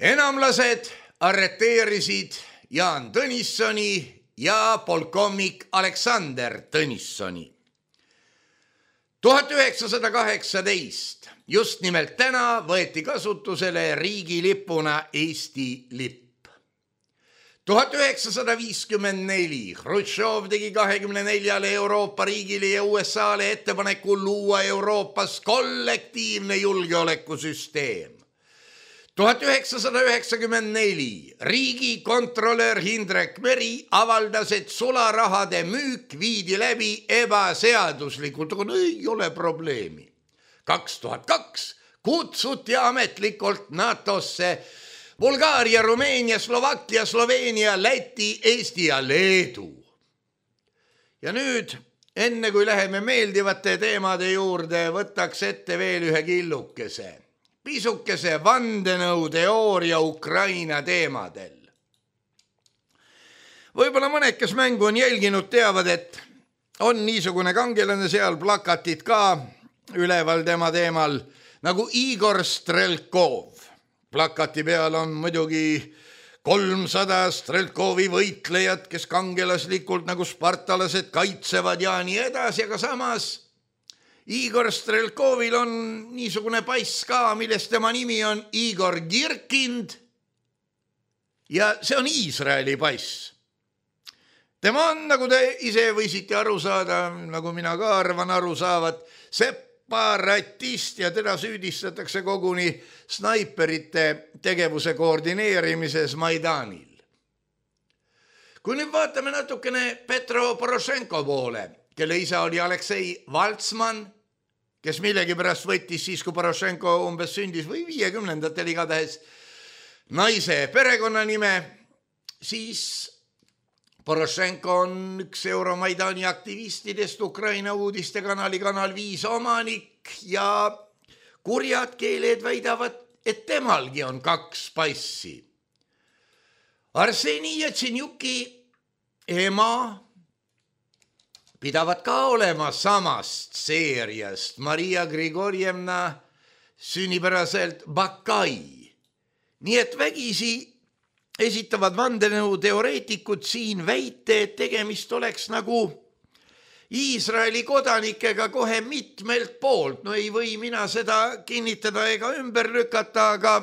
C: Enamlased arreteerisid Jaan Tõnissoni ja polkovnik Aleksander Tõnissoni. 1918 just nimelt täna võeti kasutusele riigilipuna Eesti lipp. 1954 Hrutšov tegi 24 Euroopa riigile ja USAle ettepaneku luua Euroopas kollektiivne julgeolekusüsteem. 1994 riigikontrolör Hindrek Meri avaldas, et sularahade müük viidi läbi ebaseaduslikult, aga ei ole probleemi. 2002 kutsuti ametlikult NATO-sse Bulgaaria, Rumeenia, Slovakkia, Sloveenia, Läti, Eesti ja Leedu. Ja nüüd, enne kui läheme meeldivate teemade juurde, võtaks ette veel ühe killukese. Pisukese vandenõuteooria Ukraina teemadel. Võib-olla mõned, kes mängu on jälginud, teavad, et on niisugune kangelane seal, plakatid ka üleval tema teemal, nagu Igor Strelkov. Plakati peal on muidugi 300 Strelkovi võitlejad, kes kangelaslikult nagu spartalased kaitsevad ja nii edasi, aga samas Igor Strelkovil on niisugune pass ka, millest tema nimi on Igor Girkind ja see on Iisraeli pass. Tema on, nagu te ise võisite aru saada, nagu mina ka arvan aru saavat, separatist ja teda süüdistatakse koguni snaiperite tegevuse koordineerimises Maidanil. Kui nüüd vaatame natukene Petro Porošenko poole, kelle isa oli Aleksei Valtsman, kes millegipärast võttis siis, kui Porošenko umbes sündis või 50-ndatel igatahes naise perekonnanime, siis Porošenko on üks Euromaidani aktivistidest, Ukraina uudistekanali Kanal 5 omanik ja kurjad keeled väidavad, et temalgi on 2 passi. Arseni Jatsenjuki ema pidavad ka olema samast seeriast, Maria Grigorjevna sünnipäraselt Bakai. Nii et vägisi esitavad vandenõuteoreetikud siin väite, et tegemist oleks nagu Iisraeli kodanikega kohe mitmelt poolt. No ei või mina seda kinnitada ega ümber lükata, aga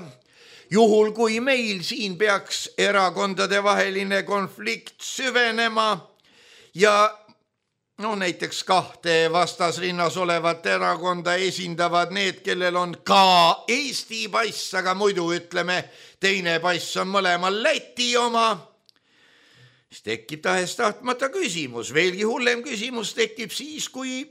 C: juhul kui meil siin peaks erakondade vaheline konflikt süvenema ja näiteks 2 vastasrinnas olevat erakonda esindavad need, kellel on ka Eesti pass, aga muidu ütleme, teine pass on mõlemal Läti oma, siis tekib tahes-tahtmata küsimus. Veelgi hullem küsimus tekib siis, kui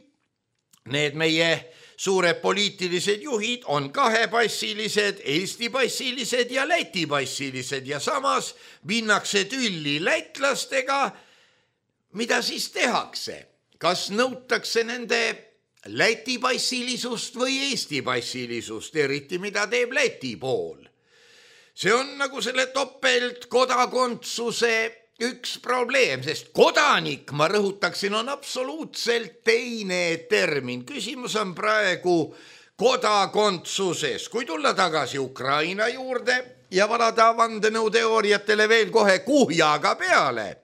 C: need meie suured poliitilised juhid on 2-passilised, Eesti passilised ja Läti passilised ja samas minnakse tülli lätlastega. Mida siis tehakse? Kas nõutakse nende Läti passilisust või Eesti passilisust, eriti mida teeb Läti pool? See on nagu selle topeltkodakondsuse üks probleem, sest kodanik, ma rõhutaksin, on absoluutselt teine termin. Küsimus on praegu kodakondsuses. Kui tulla tagasi Ukraina juurde ja valada vandenõuteooriatele veel kohe kuhjaga peale,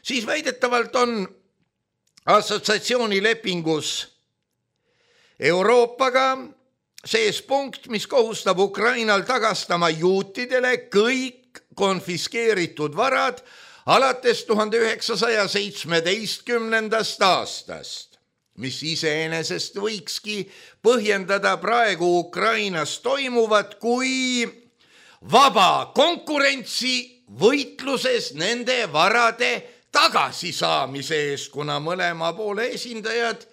C: siis väidetavalt on assotsiatsioonilepingus Euroopaga sees punkt, mis kohustab Ukrainal tagastama juutidele kõik konfiskeeritud varad alates 1917. aastast, mis iseenesest võikski põhjendada praegu Ukrainas toimuvat kui vaba konkurentsi võitluses nende varade tagasisaamise eest, kuna mõlema poole esindajad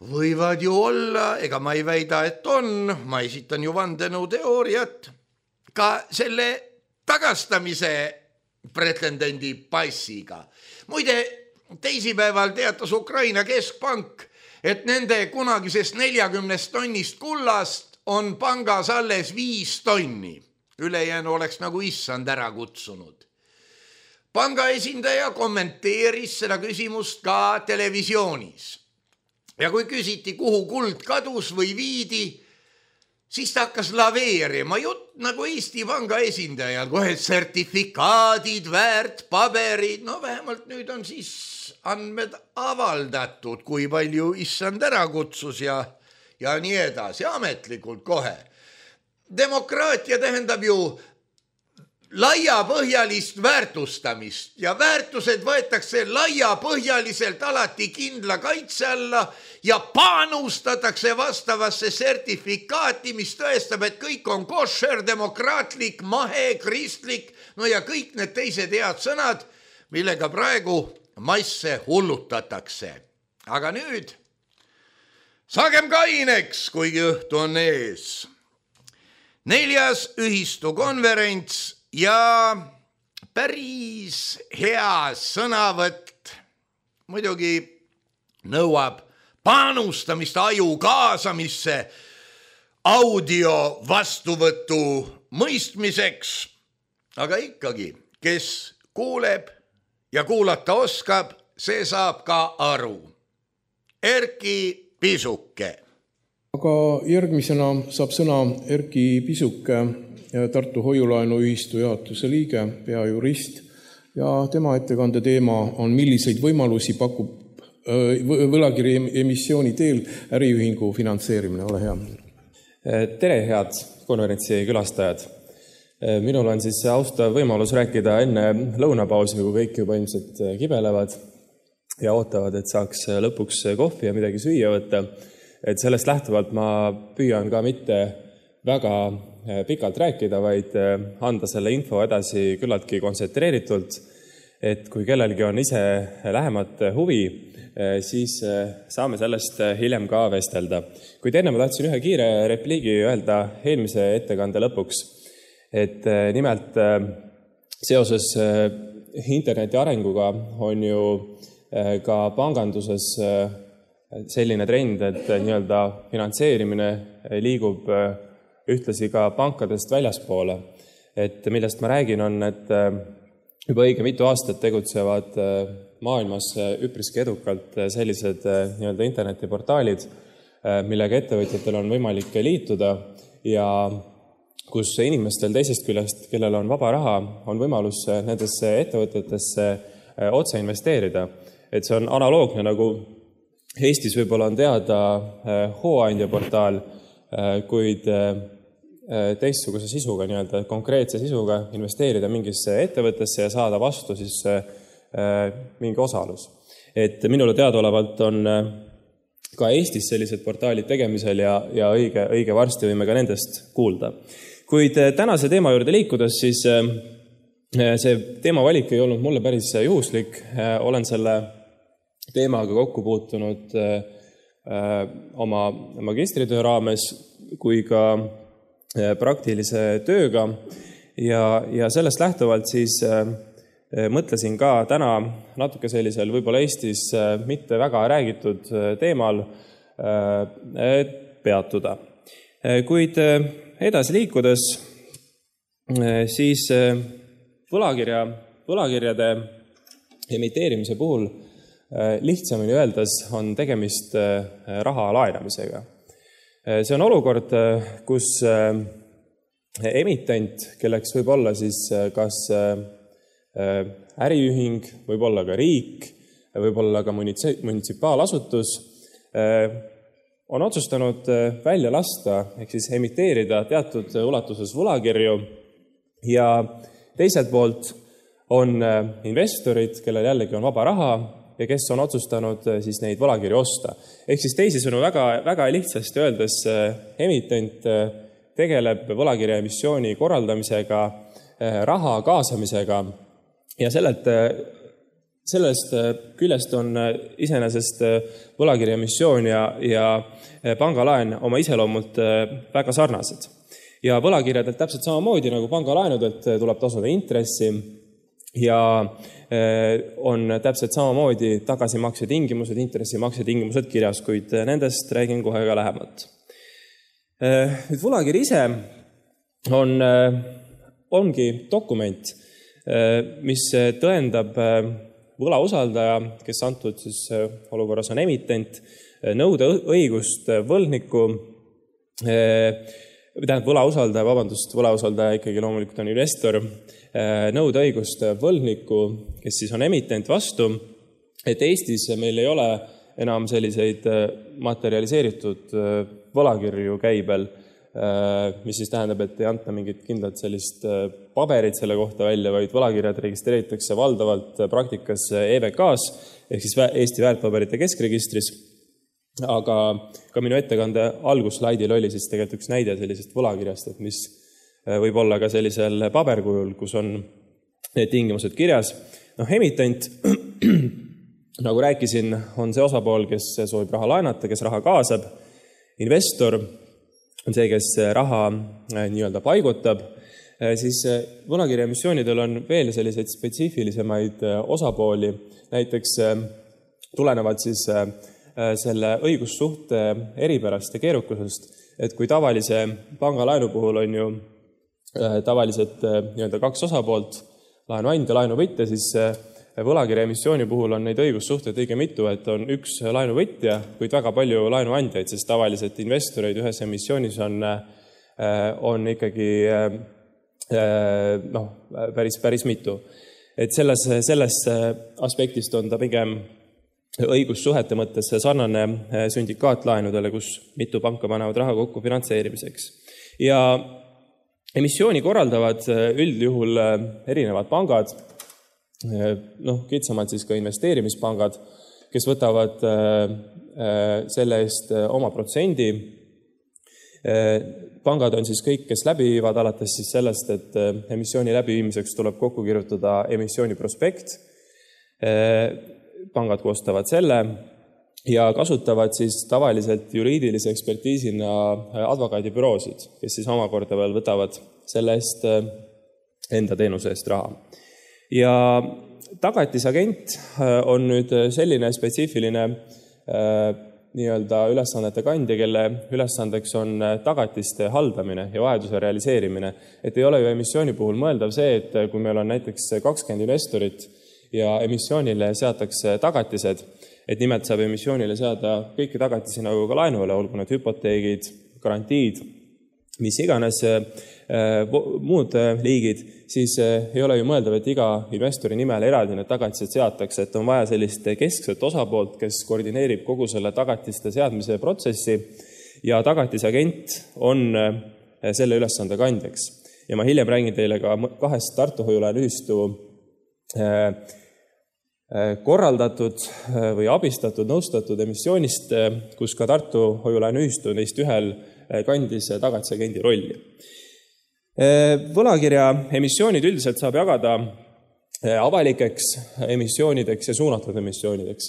C: võivad ju olla, ega ma ei väida, et on, ma esitan ju vandenõuteooriat, ka selle tagastamise pretendendi passiga. Muide, teisipäeval teatas Ukraina keskpank, et nende kunagisest 40 tonnist kullast on pangas alles 5 tonni. Ülejäänu oleks nagu issand ära kutsunud. Panga esindaja kommenteeris seda küsimust ka televisioonis. Ja kui küsiti, kuhu kuld kadus või viidi, siis ta hakkas laveerima. Jutt nagu Eesti Panga esindajal, kohe sertifikaadid, väärtpaberid, no vähemalt nüüd on siis andmed avaldatud, kui palju issand ära kutsus ja nii edasi, ametlikult kohe. Demokraatia tähendab ju laiapõhjalist väärtustamist ja väärtused võetakse laiapõhjaliselt alati kindla kaitse alla ja panustatakse vastavasse sertifikaati, mis tõestab, et kõik on košer, demokraatlik, mahe, kristlik, no ja kõik need teised head sõnad, millega praegu masse hullutatakse. Aga nüüd saagem kaineks, kuigi õhtu on ees. 4. ühistukonverents ja päris hea sõnavõtt muidugi nõuab panustamist aju kaasamisse audio vastuvõtu mõistmiseks, aga ikkagi, kes kuuleb ja kuulata oskab, see saab ka aru. Erki Pisuke.
D: Aga järgmisena saab sõna Erki Pisuke, Tartu Hoiulaenuühistu juhatuse liige, peajurist ja tema ettekande teema on, milliseid võimalusi pakub võlakirja emissiooni teel äriühingu finantseerimine. Ole hea.
E: Tere, head konverentsi külastajad. Minul on siis austav võimalus rääkida enne lõunapausi, kui kõik juba ilmselt kibelevad ja ootavad, et saaks lõpuks kohvi ja midagi süüa võtta. Et sellest lähtuvalt ma püüan ka mitte väga pikalt rääkida, vaid anda selle info edasi küllaltki kontsentreeritult, et kui kellelgi on ise lähemat huvi, siis saame sellest hiljem ka vestelda. Kuid enne ma tahtsin ühe kiire repliigi öelda eelmise ettekande lõpuks, et nimelt seoses interneti arenguga on ju ka panganduses selline trend, et nii-öelda finantseerimine liigub ühtlasi ka pankadest väljaspoole. Et millest ma räägin on, et juba õige mitu aastat tegutsevad maailmas üpriski edukalt sellised nii-öelda internetiportaalid, millega ettevõtjatel on võimalik liituda ja kus inimestel teisest küljest, kellel on vaba raha, on võimalus nendesse ettevõtetesse otse investeerida. Et see on analoogne, nagu Eestis võib-olla on teada hooandja portaal, kuid teistsuguse sisuga, nii-öelda konkreetse sisuga investeerida mingisse ettevõttesse ja saada vastu siis mingi osalus. Et minule teadaolevalt on ka Eestis sellised portaalid tegemisel ja õige varsti võime ka nendest kuulda. Kuid tänase teema juurde liikudes, siis see teemavalik ei olnud mulle päris juhuslik. Olen selle teemaga kokku puutunud oma magistritöö raames kui ka praktilise tööga ja sellest lähtuvalt siis mõtlesin ka täna natuke sellisel võib-olla Eestis mitte väga räägitud teemal peatuda. Kuid edasi liikudes, siis võlakirjade emiteerimise puhul lihtsamini öeldes on tegemist raha laenamisega. See on olukord, kus emitent, kelleks võib olla siis kas äriühing, võib olla ka riik, võib olla ka munitsipaalasutus, on otsustanud välja lasta, ehk siis emiteerida teatud ulatuses võlakirju ja teiselt poolt on investorid, kellel jällegi on vaba raha ja kes on otsustanud siis neid võlakirju osta. Ehk siis teisisõnu väga lihtsasti öeldes emitent tegeleb võlakirja emissiooni korraldamisega, raha kaasamisega ja sellelt sellest küljest on iseenesest võlakirjaemissioon ja pangalaen oma iseloomult väga sarnased. Ja võlakirjadelt täpselt samamoodi nagu pangalaenudelt tuleb tasuda intressi ja on täpselt samamoodi tagasimakse tingimused, intressimakse tingimused kirjas, kuid nendest räägin kohe ka lähemalt. Nüüd võlakiri ise ongi dokument, mis tõendab võlausaldaja, kes antud siis olukorras on emitent, nõude õigust võlgniku, võlausaldaja ikkagi loomulikult on investor, nõude õigust võlgniku, kes siis on emitent vastu, et Eestis meil ei ole enam selliseid materialiseeritud võlakirju käibel, mis siis tähendab, et ei anta mingit kindlat sellist paberit selle kohta välja, vaid võlakirjad registreeritakse valdavalt praktikas EVK-s, ehk siis Eesti väärtpaberite keskregistris. Aga ka minu ettekande alguslaidil oli siis tegelikult üks näide sellisest võlakirjast, et mis võib olla ka sellisel paberkujul, kus on need tingimused kirjas. Emitent, nagu rääkisin, on see osapool, kes soovib raha laenata, kes raha kaasab. Investor on see, kes raha nii-öelda paigutab. Siis võlakirjaemissioonidel on veel selliseid spetsiifilisemaid osapooli. Näiteks tulenevad siis selle õigussuhte eripärast ja keerukusest, et kui tavalise pangalaenu puhul on ju tavaliselt nii-öelda kaks osapoolt, laenuandja, laenuvõtja, siis võlakirjaemissiooni puhul on neid õigussuhteid õige mitu, et on üks laenuvõtja, kuid väga palju laenuandjaid, sest tavaliselt investoreid ühes emissioonis on ikkagi päris mitu. Et selles aspektist on ta pigem õigussuhete mõttes sarnane sündikaatlaenudele, kus mitu panka panevad raha kokku finantseerimiseks. Ja emissiooni korraldavad üldjuhul erinevad pangad, kitsamalt siis ka investeerimispangad, kes võtavad selle eest oma protsendi. Pangad on siis kõik, kes läbi viivad alates siis sellest, et emissiooni läbiviimiseks tuleb kokku kirjutada emissiooni prospekt. Pangad koostavad selle ja kasutavad siis tavaliselt juriidilise ekspertiisina advokaadibüroosid, kes siis omakorda veel võtavad selle eest enda teenuse eest raha. Ja tagatisagent on nüüd selline spetsiifiline nii-öelda ülesannete kandja, kelle ülesandeks on tagatiste haldamine ja vajaduse realiseerimine. Et ei ole ju emissiooni puhul mõeldav see, et kui meil on näiteks 20 investorit ja emissioonile seatakse tagatised, et nimelt saab emissioonile seada kõiki tagatisi nagu ka laenule, olgu need hüpoteegid, garantiid, mis iganes muud liigid, siis ei ole ju mõeldav, et iga investori nimel eraldi need tagatised seatakse, et on vaja sellist keskset osapoolt, kes koordineerib kogu selle tagatiste seadmise protsessi ja tagatisagent on selle ülesande kandjaks. Ja ma hiljem räägin teile ka kahest Tartu hoiulaenuühistu korraldatud või abistatud, nõustatud emissioonist, kus ka Tartu hoiulaenuühistu neist ühel kandis tagatisagendi rolli. Võlakirja emissioonid üldiselt saab jagada avalikeks emissioonideks ja suunatud emissioonideks.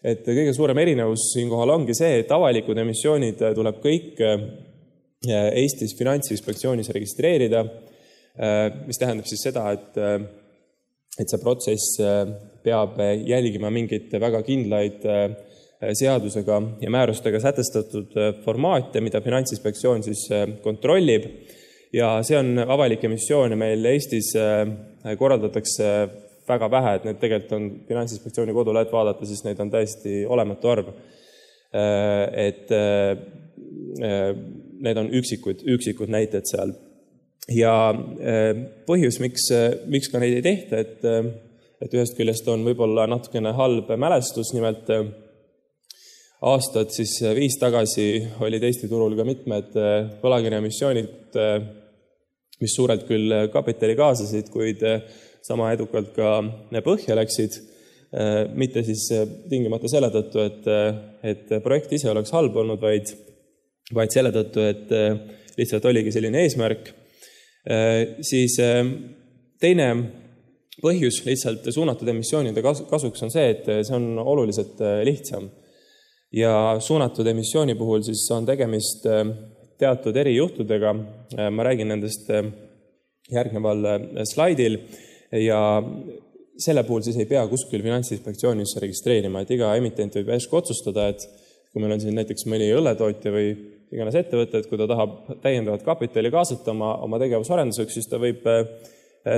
E: Et kõige suurem erinevus siinkohal ongi see, et avalikud emissioonid tuleb kõik Eestis Finantsinspektsioonis registreerida, mis tähendab siis seda, et see protsess peab jälgima mingit väga kindlaid seadusega ja määrustega sätestatud formaate, mida Finantsinspektsioon siis kontrollib. Ja see on avalik emissioon ja meil Eestis korraldatakse väga vähe, et need tegelikult on Finantsinspektsiooni kodulehelt vaadata, siis neid on täiesti olematu arv. Et need on üksikud näited seal. Ja põhjus, miks ka neid ei tehta, et ühest küljest on võib-olla natukene halb mälestus, nimelt aastad siis 5 tagasi olid Eesti turul ka mitmed võlakirjaemissioonid, mis suurelt küll kapitali kaasasid, kuid sama edukalt ka põhja läksid, mitte siis tingimata selle tõttu, et projekt ise oleks halb olnud, vaid selle tõttu, et lihtsalt oligi selline eesmärk. Siis teine Põhjus lihtsalt suunatud emissioonide kasuks on see, et see on oluliselt lihtsam. Ja suunatud emissiooni puhul siis on tegemist teatud erijuhtudega. Ma räägin nendest järgneval slaidil ja selle puhul siis ei pea kuskil Finantsinspektsioonis registreerima, et iga emitent võib järsku otsustada, et kui meil on siin näiteks mõni õlletootja või iganes ettevõte, et kui ta tahab täiendavat kapitali kaasata oma tegevusarenduseks, siis ta võib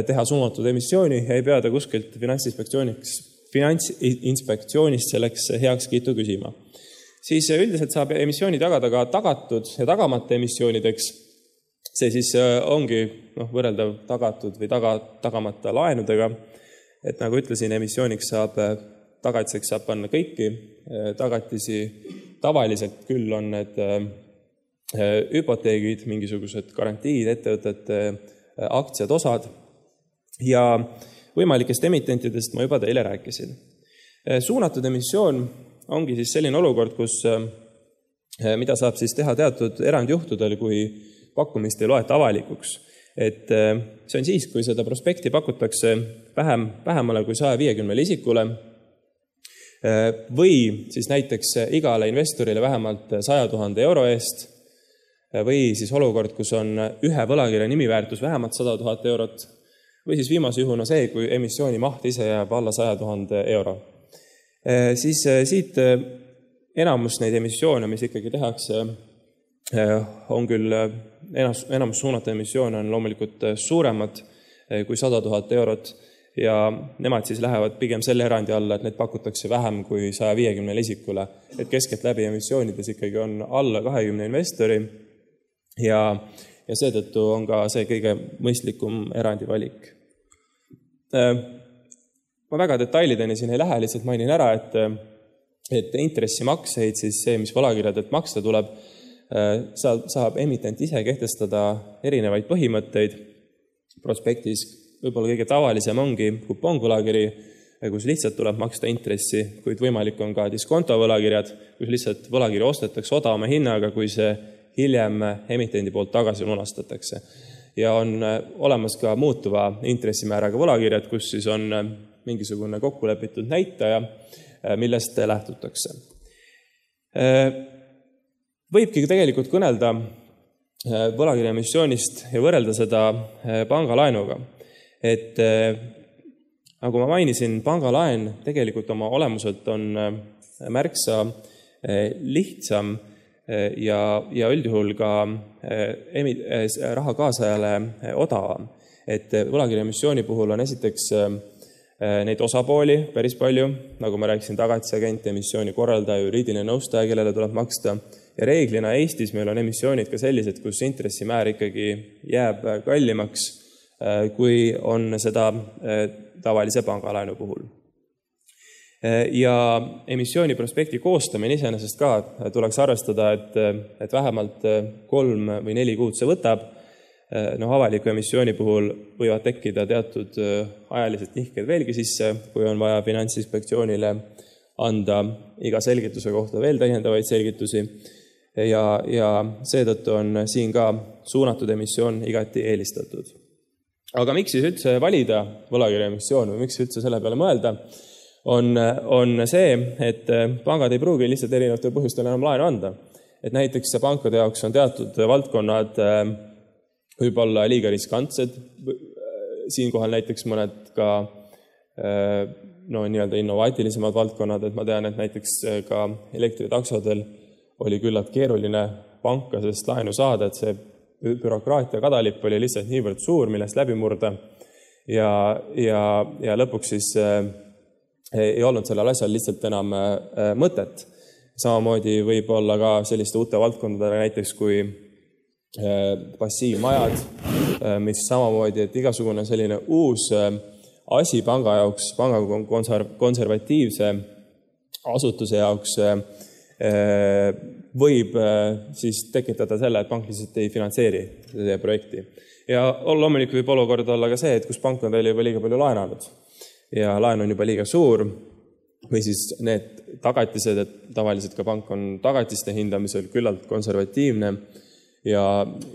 E: teha suunatud emissiooni ja ei pea ta kuskilt Finantsinspektsioonist selleks heakskiitu küsima. Siis üldiselt saab emissiooni tagada ka tagatud ja tagamata emissioonideks. See siis ongi võrreldav tagatud või tagamata laenudega. Et nagu ütlesin, emissiooniks tagatiseks saab panna kõiki tagatisi. Tavaliselt küll on need hüpoteegid, mingisugused garantiid, ettevõtete aktsiad, osad. Ja võimalikest emitentidest ma juba teile rääkisin. Suunatud emissioon ongi siis selline olukord, mida saab siis teha teatud erandjuhtudel, kui pakkumist ei loeta avalikuks. Et see on siis, kui seda prospekti pakutakse vähemale kui 150 isikule või siis näiteks igale investorile vähemalt 100 000 euro eest või siis olukord, kus on ühe võlakirja nimiväärtus vähemalt 100 000 eurot või siis viimase juhuna see, kui emissiooni maht ise jääb alla 100 000 euro. Siis siit enamus neid emissioone, mis ikkagi tehakse, on küll enamus suunatud emissioone on loomulikult suuremad kui 100 000 eurot ja nemad siis lähevad pigem selle erandi alla, et need pakutakse vähem kui 150 isikule. Et keskelt läbi emissioonides ikkagi on alla 20 investori ja seetõttu on ka see kõige mõistlikum erandi valik. Ma väga detailideni siin ei lähe, lihtsalt mainin ära, et intressimakseid, siis see, mis võlakirjadelt maksta tuleb, saab emitent ise kehtestada erinevaid põhimõtteid. Prospektis võib-olla kõige tavalisem ongi kuponvõlakiri, kus lihtsalt tuleb maksta intressi, kuid võimalik on ka diskontovõlakirjad, kus lihtsalt võlakiri ostetakse odavama hinnaga, kui see hiljem emitendi poolt tagasi lunastatakse. Ja on olemas ka muutuva intressimääraga võlakirjad, kus siis on mingisugune kokkulepitud näitaja, millest lähtutakse. Võibki tegelikult kõnelda võlakirja emissioonist ja võrrelda seda pangalaenuga. Et nagu ma mainisin, pangalaen tegelikult oma olemuselt on märksa lihtsam ja üldjuhul ka raha kaasajale odavam. Et võlakirja emissiooni puhul on esiteks neid osapooli päris palju, nagu ma rääkisin, tagatisagent, emissiooni korraldaja, juriidiline nõustaja, kellele tuleb maksta. Ja reeglina Eestis meil on emissioonid ka sellised, kus intressimäär ikkagi jääb kallimaks, kui on seda tavalise pangalaenu puhul. Ja emissiooni prospekti koostamine iseenesest ka tuleks arvestada, et vähemalt 3 või 4 kuud see võtab. Avaliku emissiooni puhul võivad tekkida teatud ajalised nihked veelgi sisse, kui on vaja Finantsinspektsioonile anda iga selgituse kohta veel täiendavaid selgitusi. Ja seetõttu on siin ka suunatud emissioon igati eelistatud. Aga miks siis üldse valida võlakirja emissioon või miks üldse selle peale mõelda, on see, et pangad ei pruugi lihtsalt erinevatel põhjustel enam laenu anda. Et näiteks pankade jaoks on teatud valdkonnad võib-olla liiga riskantsed. Siinkohal näiteks mõned ka nii-öelda innovaatilisemad valdkonnad, et ma tean, et näiteks ka elektritaksodel oli küllalt keeruline panka sellest laenu saada, et see bürokraatia kadalipp oli lihtsalt niivõrd suur, millest läbi murda ja lõpuks siis ei olnud sellel asjal lihtsalt enam mõtet. Samamoodi võib olla ka selliste uute valdkondadele näiteks kui passiivmajad, mis samamoodi, et igasugune selline uus asi panga jaoks, panga konservatiivse asutuse jaoks võib siis tekitada selle, et pank lihtsalt ei finantseeri seda projekti. Ja loomulikult võib olukord olla ka see, et kus pank on teile juba liiga palju laenanud ja laen on juba liiga suur või siis need tagatised, et tavaliselt ka pank on tagatiste hindamisel küllalt konservatiivne ja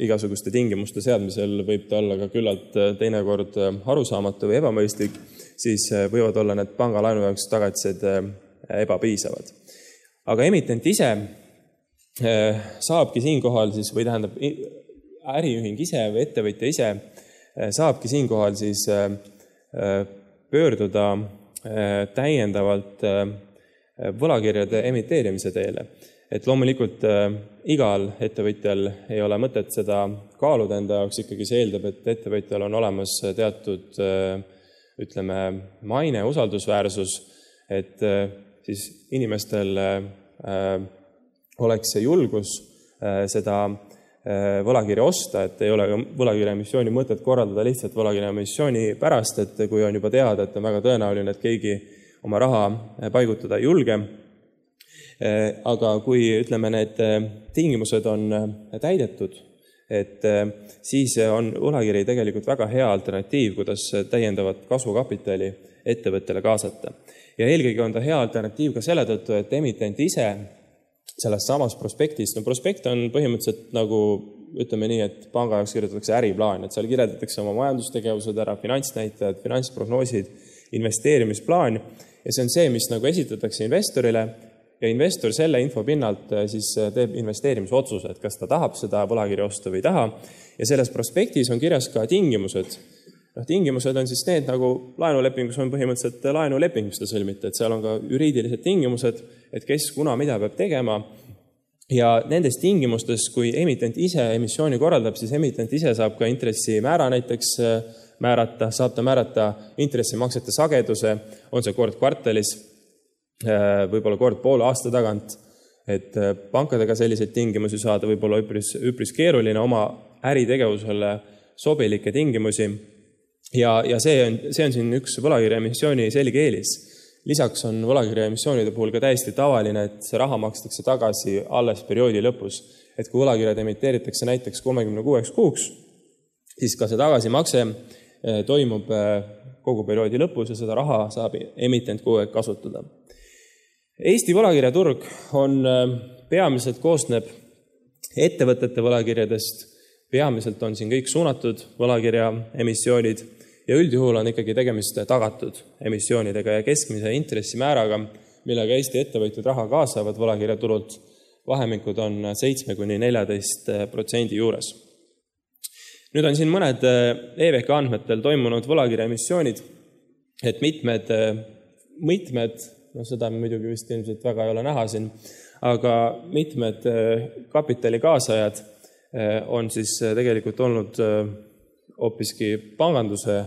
E: igasuguste tingimuste seadmisel võib ta olla ka küllalt teinekord arusaamatu või ebamõistlik. siis võivad olla need pangalaenu jaoks tagatised ebapiisavad. Aga emitent ise saabki siinkohal siis, või tähendab äriühing ise või ettevõtja ise saabki siinkohal siis pöörduda täiendavalt võlakirjade emiteerimise teele. Et loomulikult igal ettevõtjal ei ole mõtet seda kaaluda enda jaoks, ikkagi see eeldab, et ettevõtjal on olemas teatud, ütleme, maine, usaldusväärsus, et siis inimestel oleks see julgus seda võlakirja osta, et ei ole võlakirja emissiooni mõtet korraldada lihtsalt võlakirja emissiooni pärast, et kui on juba teada, et on väga tõenäoline, et keegi oma raha paigutada ei julge. Aga kui, ütleme, need tingimused on täidetud, et siis on võlakiri tegelikult väga hea alternatiiv, kuidas täiendavat kasvukapitali ettevõttele kaasata. Ja eelkõige on ta hea alternatiiv ka selle tõttu, et emitent ise sellest samast prospektist, no prospekt on põhimõtteliselt nagu, ütleme nii, et panga jaoks kirjutatakse äriplaan, et seal kirjeldatakse oma majandustegevused ära, finantsnäitajad, finantsprognoosid, investeerimisplaan ja see on see, mis nagu esitatakse investorile ja investor selle info pinnalt siis teeb investeerimisotsuse, et kas ta tahab seda võlakirja osta või ei taha ja selles prospektis on kirjas ka tingimused. Tingimused on siis need, nagu laenulepingus on põhimõtteliselt laenuleping, mis ta sõlmite, et seal on ka juriidilised tingimused, et kes kuna mida peab tegema ja nendes tingimustes, kui emitent ise emissiooni korraldab, siis emitent ise saab ka intressimäära näiteks määrata, saab ta määrata intressimaksete sageduse, on see kord kvartalis, võib-olla kord poole aasta tagant, et pankadega selliseid tingimusi saada võib olla üpris keeruline oma äritegevusele sobilikke tingimusi ja see on siin üks võlakirja emissiooni selge eelis. Lisaks on võlakirja emissioonide puhul ka täiesti tavaline, et see raha makstakse tagasi alles perioodi lõpus. Et kui võlakirjad emiteeritakse näiteks 36 kuuks, siis ka see tagasimakse toimub kogu perioodi lõpus ja seda raha saab emitent kogu aeg kasutada. Eesti võlakirjaturg on peamiselt koosneb ettevõtete võlakirjadest, peamiselt on siin kõik suunatud võlakirja emissioonid ja üldjuhul on ikkagi tegemist tagatud emissioonidega ja keskmise intressimääraga, millega Eesti ettevõtjad raha kaasavad võlakirjaturult, vahemikud on 7–14% juures. Nüüd on siin mõned EVK andmetel toimunud võlakirja emissioonid, et mitmed seda muidugi vist ilmselt väga ei ole näha siin, aga mitmed kapitali kaasajad on siis tegelikult olnud hoopiski panganduse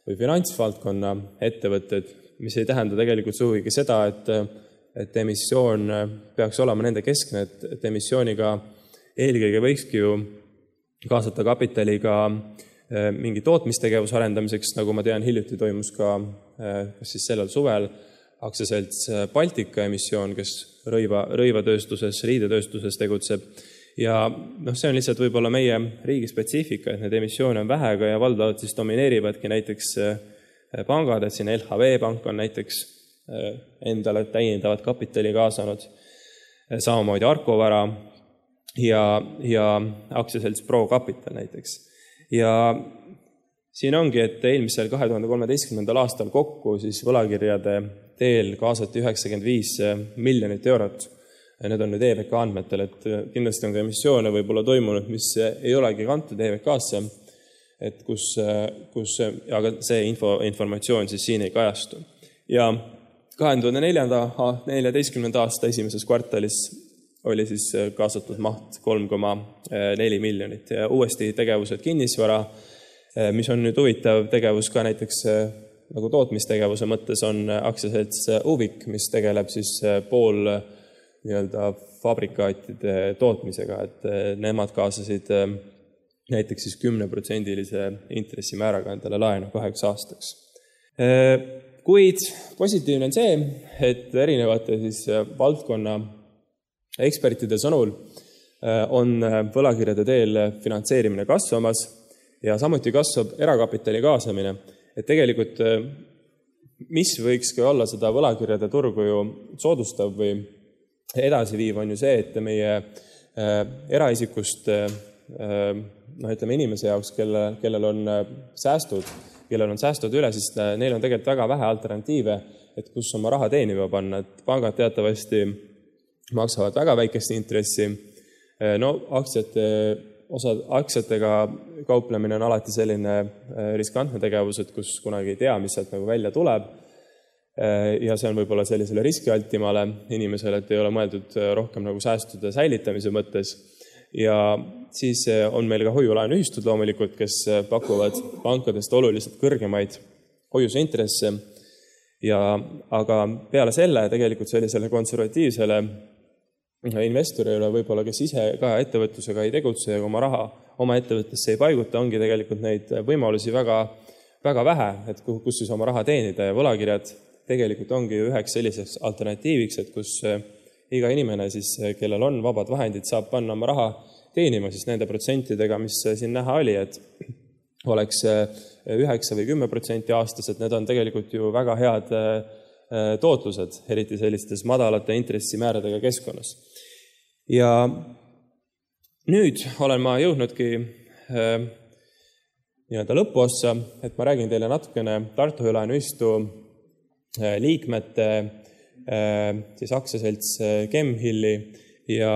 E: või finantsvaldkonna ettevõtted, mis ei tähenda tegelikult sugugi seda, et emissioon peaks olema nende keskne, et emissiooniga eelkõige võikski ju kaasata kapitali ka mingi tootmistegevuse arendamiseks, nagu ma tean, hiljuti toimus ka kas siis sellel suvel aktsiaselts Baltika emissioon, kes rõivatööstuses, riidetööstuses tegutseb. Ja see on lihtsalt võib-olla meie riigi spetsiifika, et need emissioone on vähega ja valdavalt siis domineerivadki näiteks pangad, et siin LHV pank on näiteks endale täiendavat kapitali kaasanud, samamoodi Arkovara ja aktsiaselts Pro Capital näiteks. Ja siin ongi, et eelmisel 2013. aastal kokku siis võlakirjade teel kaasati 95 miljonit eurot. Need on nüüd EVK andmetel, et kindlasti on ka emissioone võib-olla toimunud, mis ei olegi kantud EVK-sse, et aga see informatsioon siis siin ei kajastu. Ja 2014. aasta esimeses kvartalis oli siis kaasatud maht 3,4 miljonit ja uuesti tegevused kinnisvara, mis on nüüd huvitav tegevus ka näiteks nagu tootmistegevuse mõttes on aktsiaselts Uvik, mis tegeleb siis pool nii-öelda fabrikaatide tootmisega, et nemad kaasasid näiteks siis 10%-lise intressimääraga endale laenu 2 aastaks. Kuid positiivne on see, et erinevate siis valdkonna ekspertide sõnul on võlakirjade teel finantseerimine kasvamas ja samuti kasvab erakapitali kaasamine. Et tegelikult, mis võikski olla seda võlakirjade turgu ju soodustav või edasiviiv on ju see, et meie eraisikust ütleme inimese jaoks, kellel on säästud, kellel on säästud üle, siis neil on tegelikult väga vähe alternatiive, et kus oma raha teenima panna. Et pangad teatavasti maksavad väga väikest intressi. No aktsiatega kauplemine on alati selline riskantne tegevus, et kus kunagi ei tea, mis sealt nagu välja tuleb. Ja see on võib-olla sellisele riskialtimale inimesele, et ei ole mõeldud rohkem nagu säästude säilitamise mõttes. Ja siis on meil ka hoiulaenuühistud loomulikult, kes pakuvad pankadest oluliselt kõrgemaid hoiuseintresse. Aga peale selle tegelikult sellisele konservatiivsele investorile võib-olla, kes ise ka ettevõtlusega ei tegutse ja oma raha oma ettevõttesse ei paiguta, ongi tegelikult neid võimalusi väga, väga vähe, et kus siis oma raha teenida ja võlakirjad tegelikult ongi üheks selliseks alternatiiviks, et kus iga inimene, siis, kellel on vabad vahendid, saab panna oma raha teenima siis nende protsentidega, mis siin näha oli, et oleks 9 või 10% aastas, et need on tegelikult ju väga head tootlused, eriti sellistes madalate intressimääradega keskkonnas. Ja nüüd olen ma jõudnudki nii-öelda lõpuossa, et ma räägin teile natukene Tartu hoiulaenuühistu liikmete, siis aktsiaselts Chemhilli ja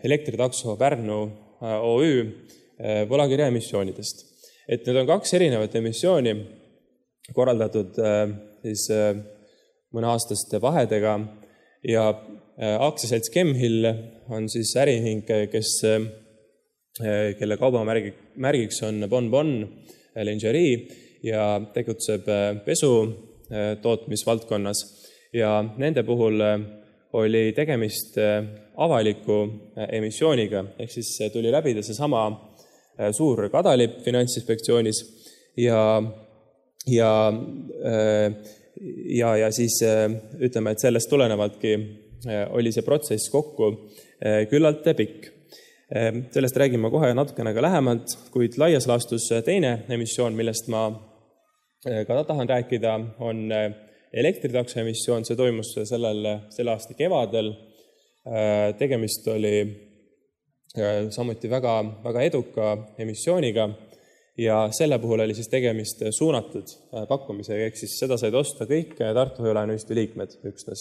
E: Elektritakso Pärnu OÜ võlakirja emissioonidest. Et need on 2 erinevat emissiooni korraldatud siis mõneaastaste vahedega ja aktsiaselts Chemhill on siis äriühing, kelle kaubamärgiks on Bon Lingerie ja tegutseb pesu tootmisvaldkonnas ja nende puhul oli tegemist avaliku emissiooniga, ehk siis tuli läbida see sama suur kadalipp Finantsinspektsioonis ja siis ütleme, et sellest tulenevaltki oli see protsess kokku küllalt pikk. Sellest räägin ma kohe natukene ka lähemalt, kuid laias laastus teine emissioon, millest ma ka tahan rääkida, on Elektritakso emissioon. See toimus selle aasta kevadel. Tegemist oli samuti väga, väga eduka emissiooniga ja selle puhul oli siis tegemist suunatud pakkumisega, ehk siis seda said osta kõik Tartu hoiulaenuühistu liikmed üksnes.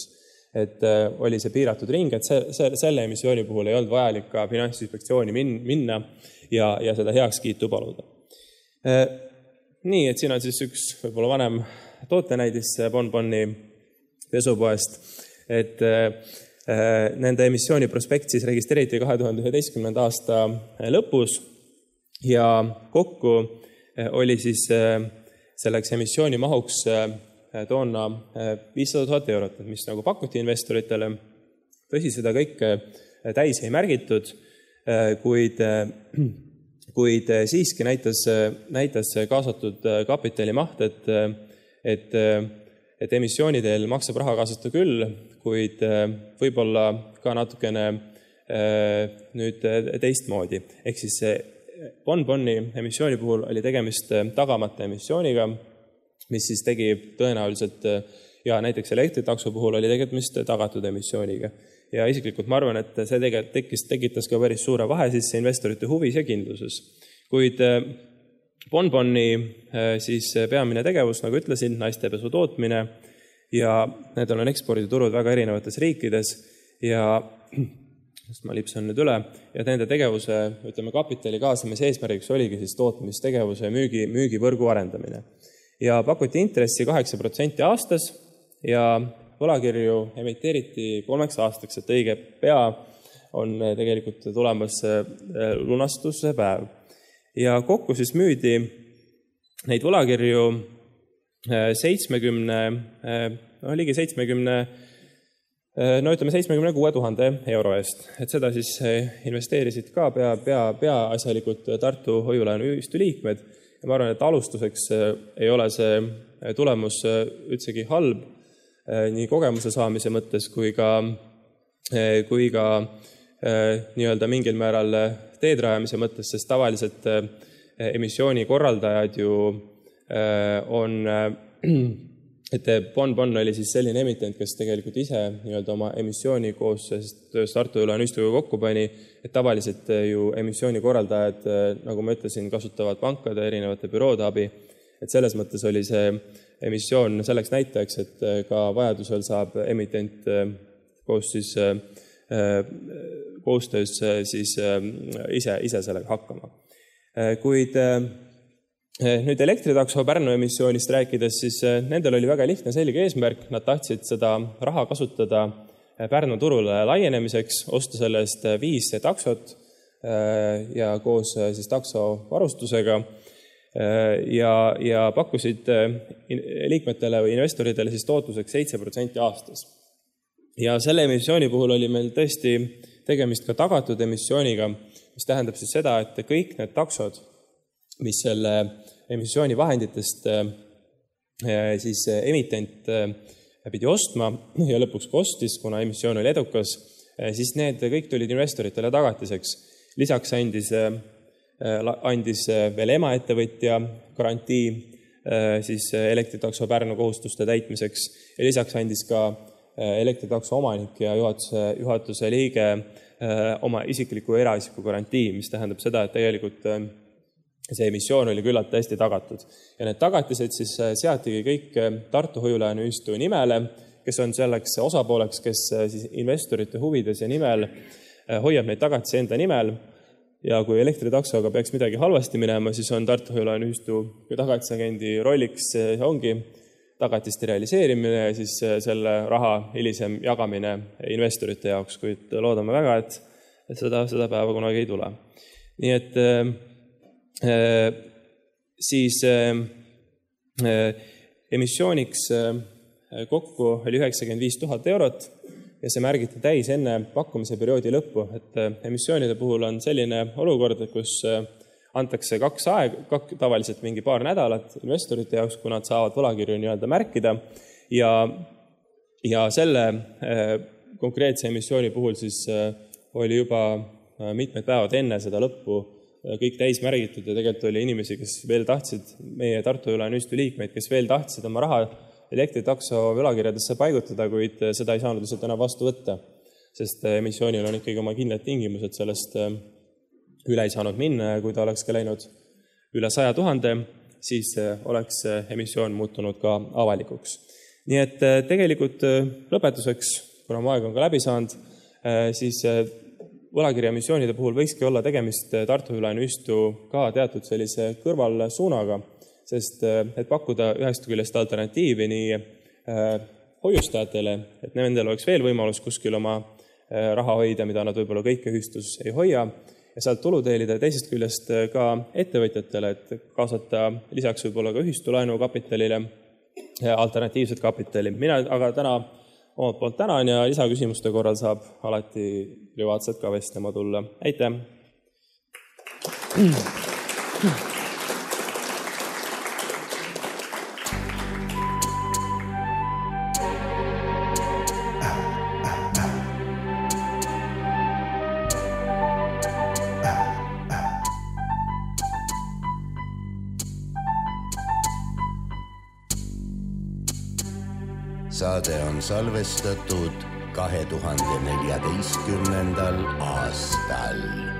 E: Et oli see piiratud ring, et selle emissiooni puhul ei olnud vajalik ka Finantsinspektsiooni minna ja seda heakskiitu paluda. Nii, et siin on siis üks võib-olla vanem tootenäidis Bonboni pesupoest, et nende emissiooni prospekt siis registreeriti 2011. aasta lõpus ja kokku oli siis selleks emissiooni mahuks toona 500 000 eurot, mis nagu pakuti investoritele. Tõsi, seda kõike täis ei märgitud, kuid siiski näitas kaasatud kapitali maht, et emissiooni teel maksab raha kaasata küll, kuid võib-olla ka natukene nüüd teistmoodi. Ehk siis Bonboni emissiooni puhul oli tegemist tagamata emissiooniga, mis siis tegi tõenäoliselt, ja näiteks Elektritakso puhul oli tegemist tagatud emissiooniga. Ja isiklikult ma arvan, et see tekitas ka päris suure vahe siis investorite huvis ja kindluses. Kuid Bonboni siis peamine tegevus, nagu ütlesin, naistepesu tootmine ja need on eksporditurud väga erinevates riikides ja ma lipsan nüüd üle ja nende tegevuse, ütleme, kapitali kaasamise eesmärgiks oligi siis tootmistegevuse müügivõrgu arendamine. Ja pakuti intressi 8% aastas ja võlakirju emiteeriti 3 aastaks, et õige pea on tegelikult tulemas lunastuse päev. Ja kokku siis müüdi neid võlakirju ligi 76 000 euro eest. Et seda siis investeerisid ka peaasjalikult Tartu hoiulaenuühistu liikmed. Ja ma arvan, et alustuseks ei ole see tulemus üldsegi halb nii kogemuse saamise mõttes kui ka nii-öelda mingil määral teedrajamise mõttes, sest tavaliselt emissiooni korraldajad ju on, et Bon oli siis selline emitent, kes tegelikult ise nii-öelda oma emissiooni koos Tartu hoiulaenuühistuga kokku pani, et tavaliselt ju emissiooni korraldajad, nagu ma ütlesin, kasutavad pankade erinevate büroode abi Et selles mõttes oli see emissioon selleks näitajaks, et ka vajadusel saab emitent koostöös siis ise sellega hakkama. Kuid nüüd elektritakso Pärnu emissioonist rääkides, siis nendel oli väga lihtne selge eesmärk. Nad tahtsid seda raha kasutada Pärnu turule laienemiseks, osta selle eest 5 taksot ja koos siis takso varustusega ja pakkusid liikmetele või investoritele siis tootluseks 7% aastas. Ja selle emissiooni puhul oli meil tõesti tegemist ka tagatud emissiooniga, mis tähendab siis seda, et kõik need taksod, mis selle emissiooni vahenditest siis emitent pidi ostma ja lõpuks kostis, kuna emissioon oli edukas, siis need kõik tulid investoritele tagatiseks. Lisaks andis veel emaettevõtja garantii siis elektritakso Pärnu kohustuste täitmiseks ja lisaks andis ka elektritakso omanik ja juhatuse liige oma isikliku eraisiku garantii, mis tähendab seda, et tegelikult see emissioon oli küllalt hästi tagatud. Ja need tagatised siis seatigi kõik Tartu Hoiu-laenuühistu nimele, kes on selleks osapooleks, kes siis investorite huvides ja nimel hoiab neid tagatisi enda nimel. Ja kui elektritaksoga peaks midagi halvasti minema, siis on Tartu Hoiu-laenuühistu tagatisagendi rolliks ongi tagatiste realiseerimine ja siis selle raha hilisem jagamine investorite jaoks, kuid loodame väga, et seda päeva kunagi ei tule. Nii et siis emissiooniks kokku oli 95 000 eurot ja see märgiti täis enne pakkumise perioodi lõppu, et emissioonide puhul on selline olukord, kus antakse tavaliselt mingi paar nädalat investorite jaoks, kui nad saavad võlakirju nii-öelda märkida ja selle konkreetse emissiooni puhul siis oli juba mitmed päevad enne seda lõppu kõik täis märgitud ja tegelikult oli inimesi, kes veel tahtsid, meie Tartu Hoiu-laenuühistu liikmeid, kes veel tahtsid oma raha elektritakso võlakirjadesse paigutada, kuid seda ei saanud lihtsalt enam vastu võtta, sest emissioonil on ikkagi oma kindlad tingimused, sellest üle ei saanud minna ja kui ta oleks ka läinud üle 100 000, siis oleks emissioon muutunud ka avalikuks. Nii et tegelikult lõpetuseks, kuna mu aeg on ka läbi saanud, siis võlakirja emissioonide puhul võikski olla tegemist Tartu Hoiu-laenuühistu ka teatud sellise kõrvalsuunaga, sest et pakkuda ühest küljest alternatiivi nii hoiustajatele, et nendel oleks veel võimalus kuskil oma raha hoida, mida nad võib-olla kõike ühistus ei hoia, ja sealt tulu teenida teisest küljest ka ettevõtjatele, et kaasata lisaks võib-olla ka ühistulaenu kapitalile alternatiivset kapitali. Mina aga täna omalt poolt tänan ja lisaküsimuste korral saab alati privaatselt ka vestlema tulla. Aitäh!
B: Saade on salvestatud 2014. aastal.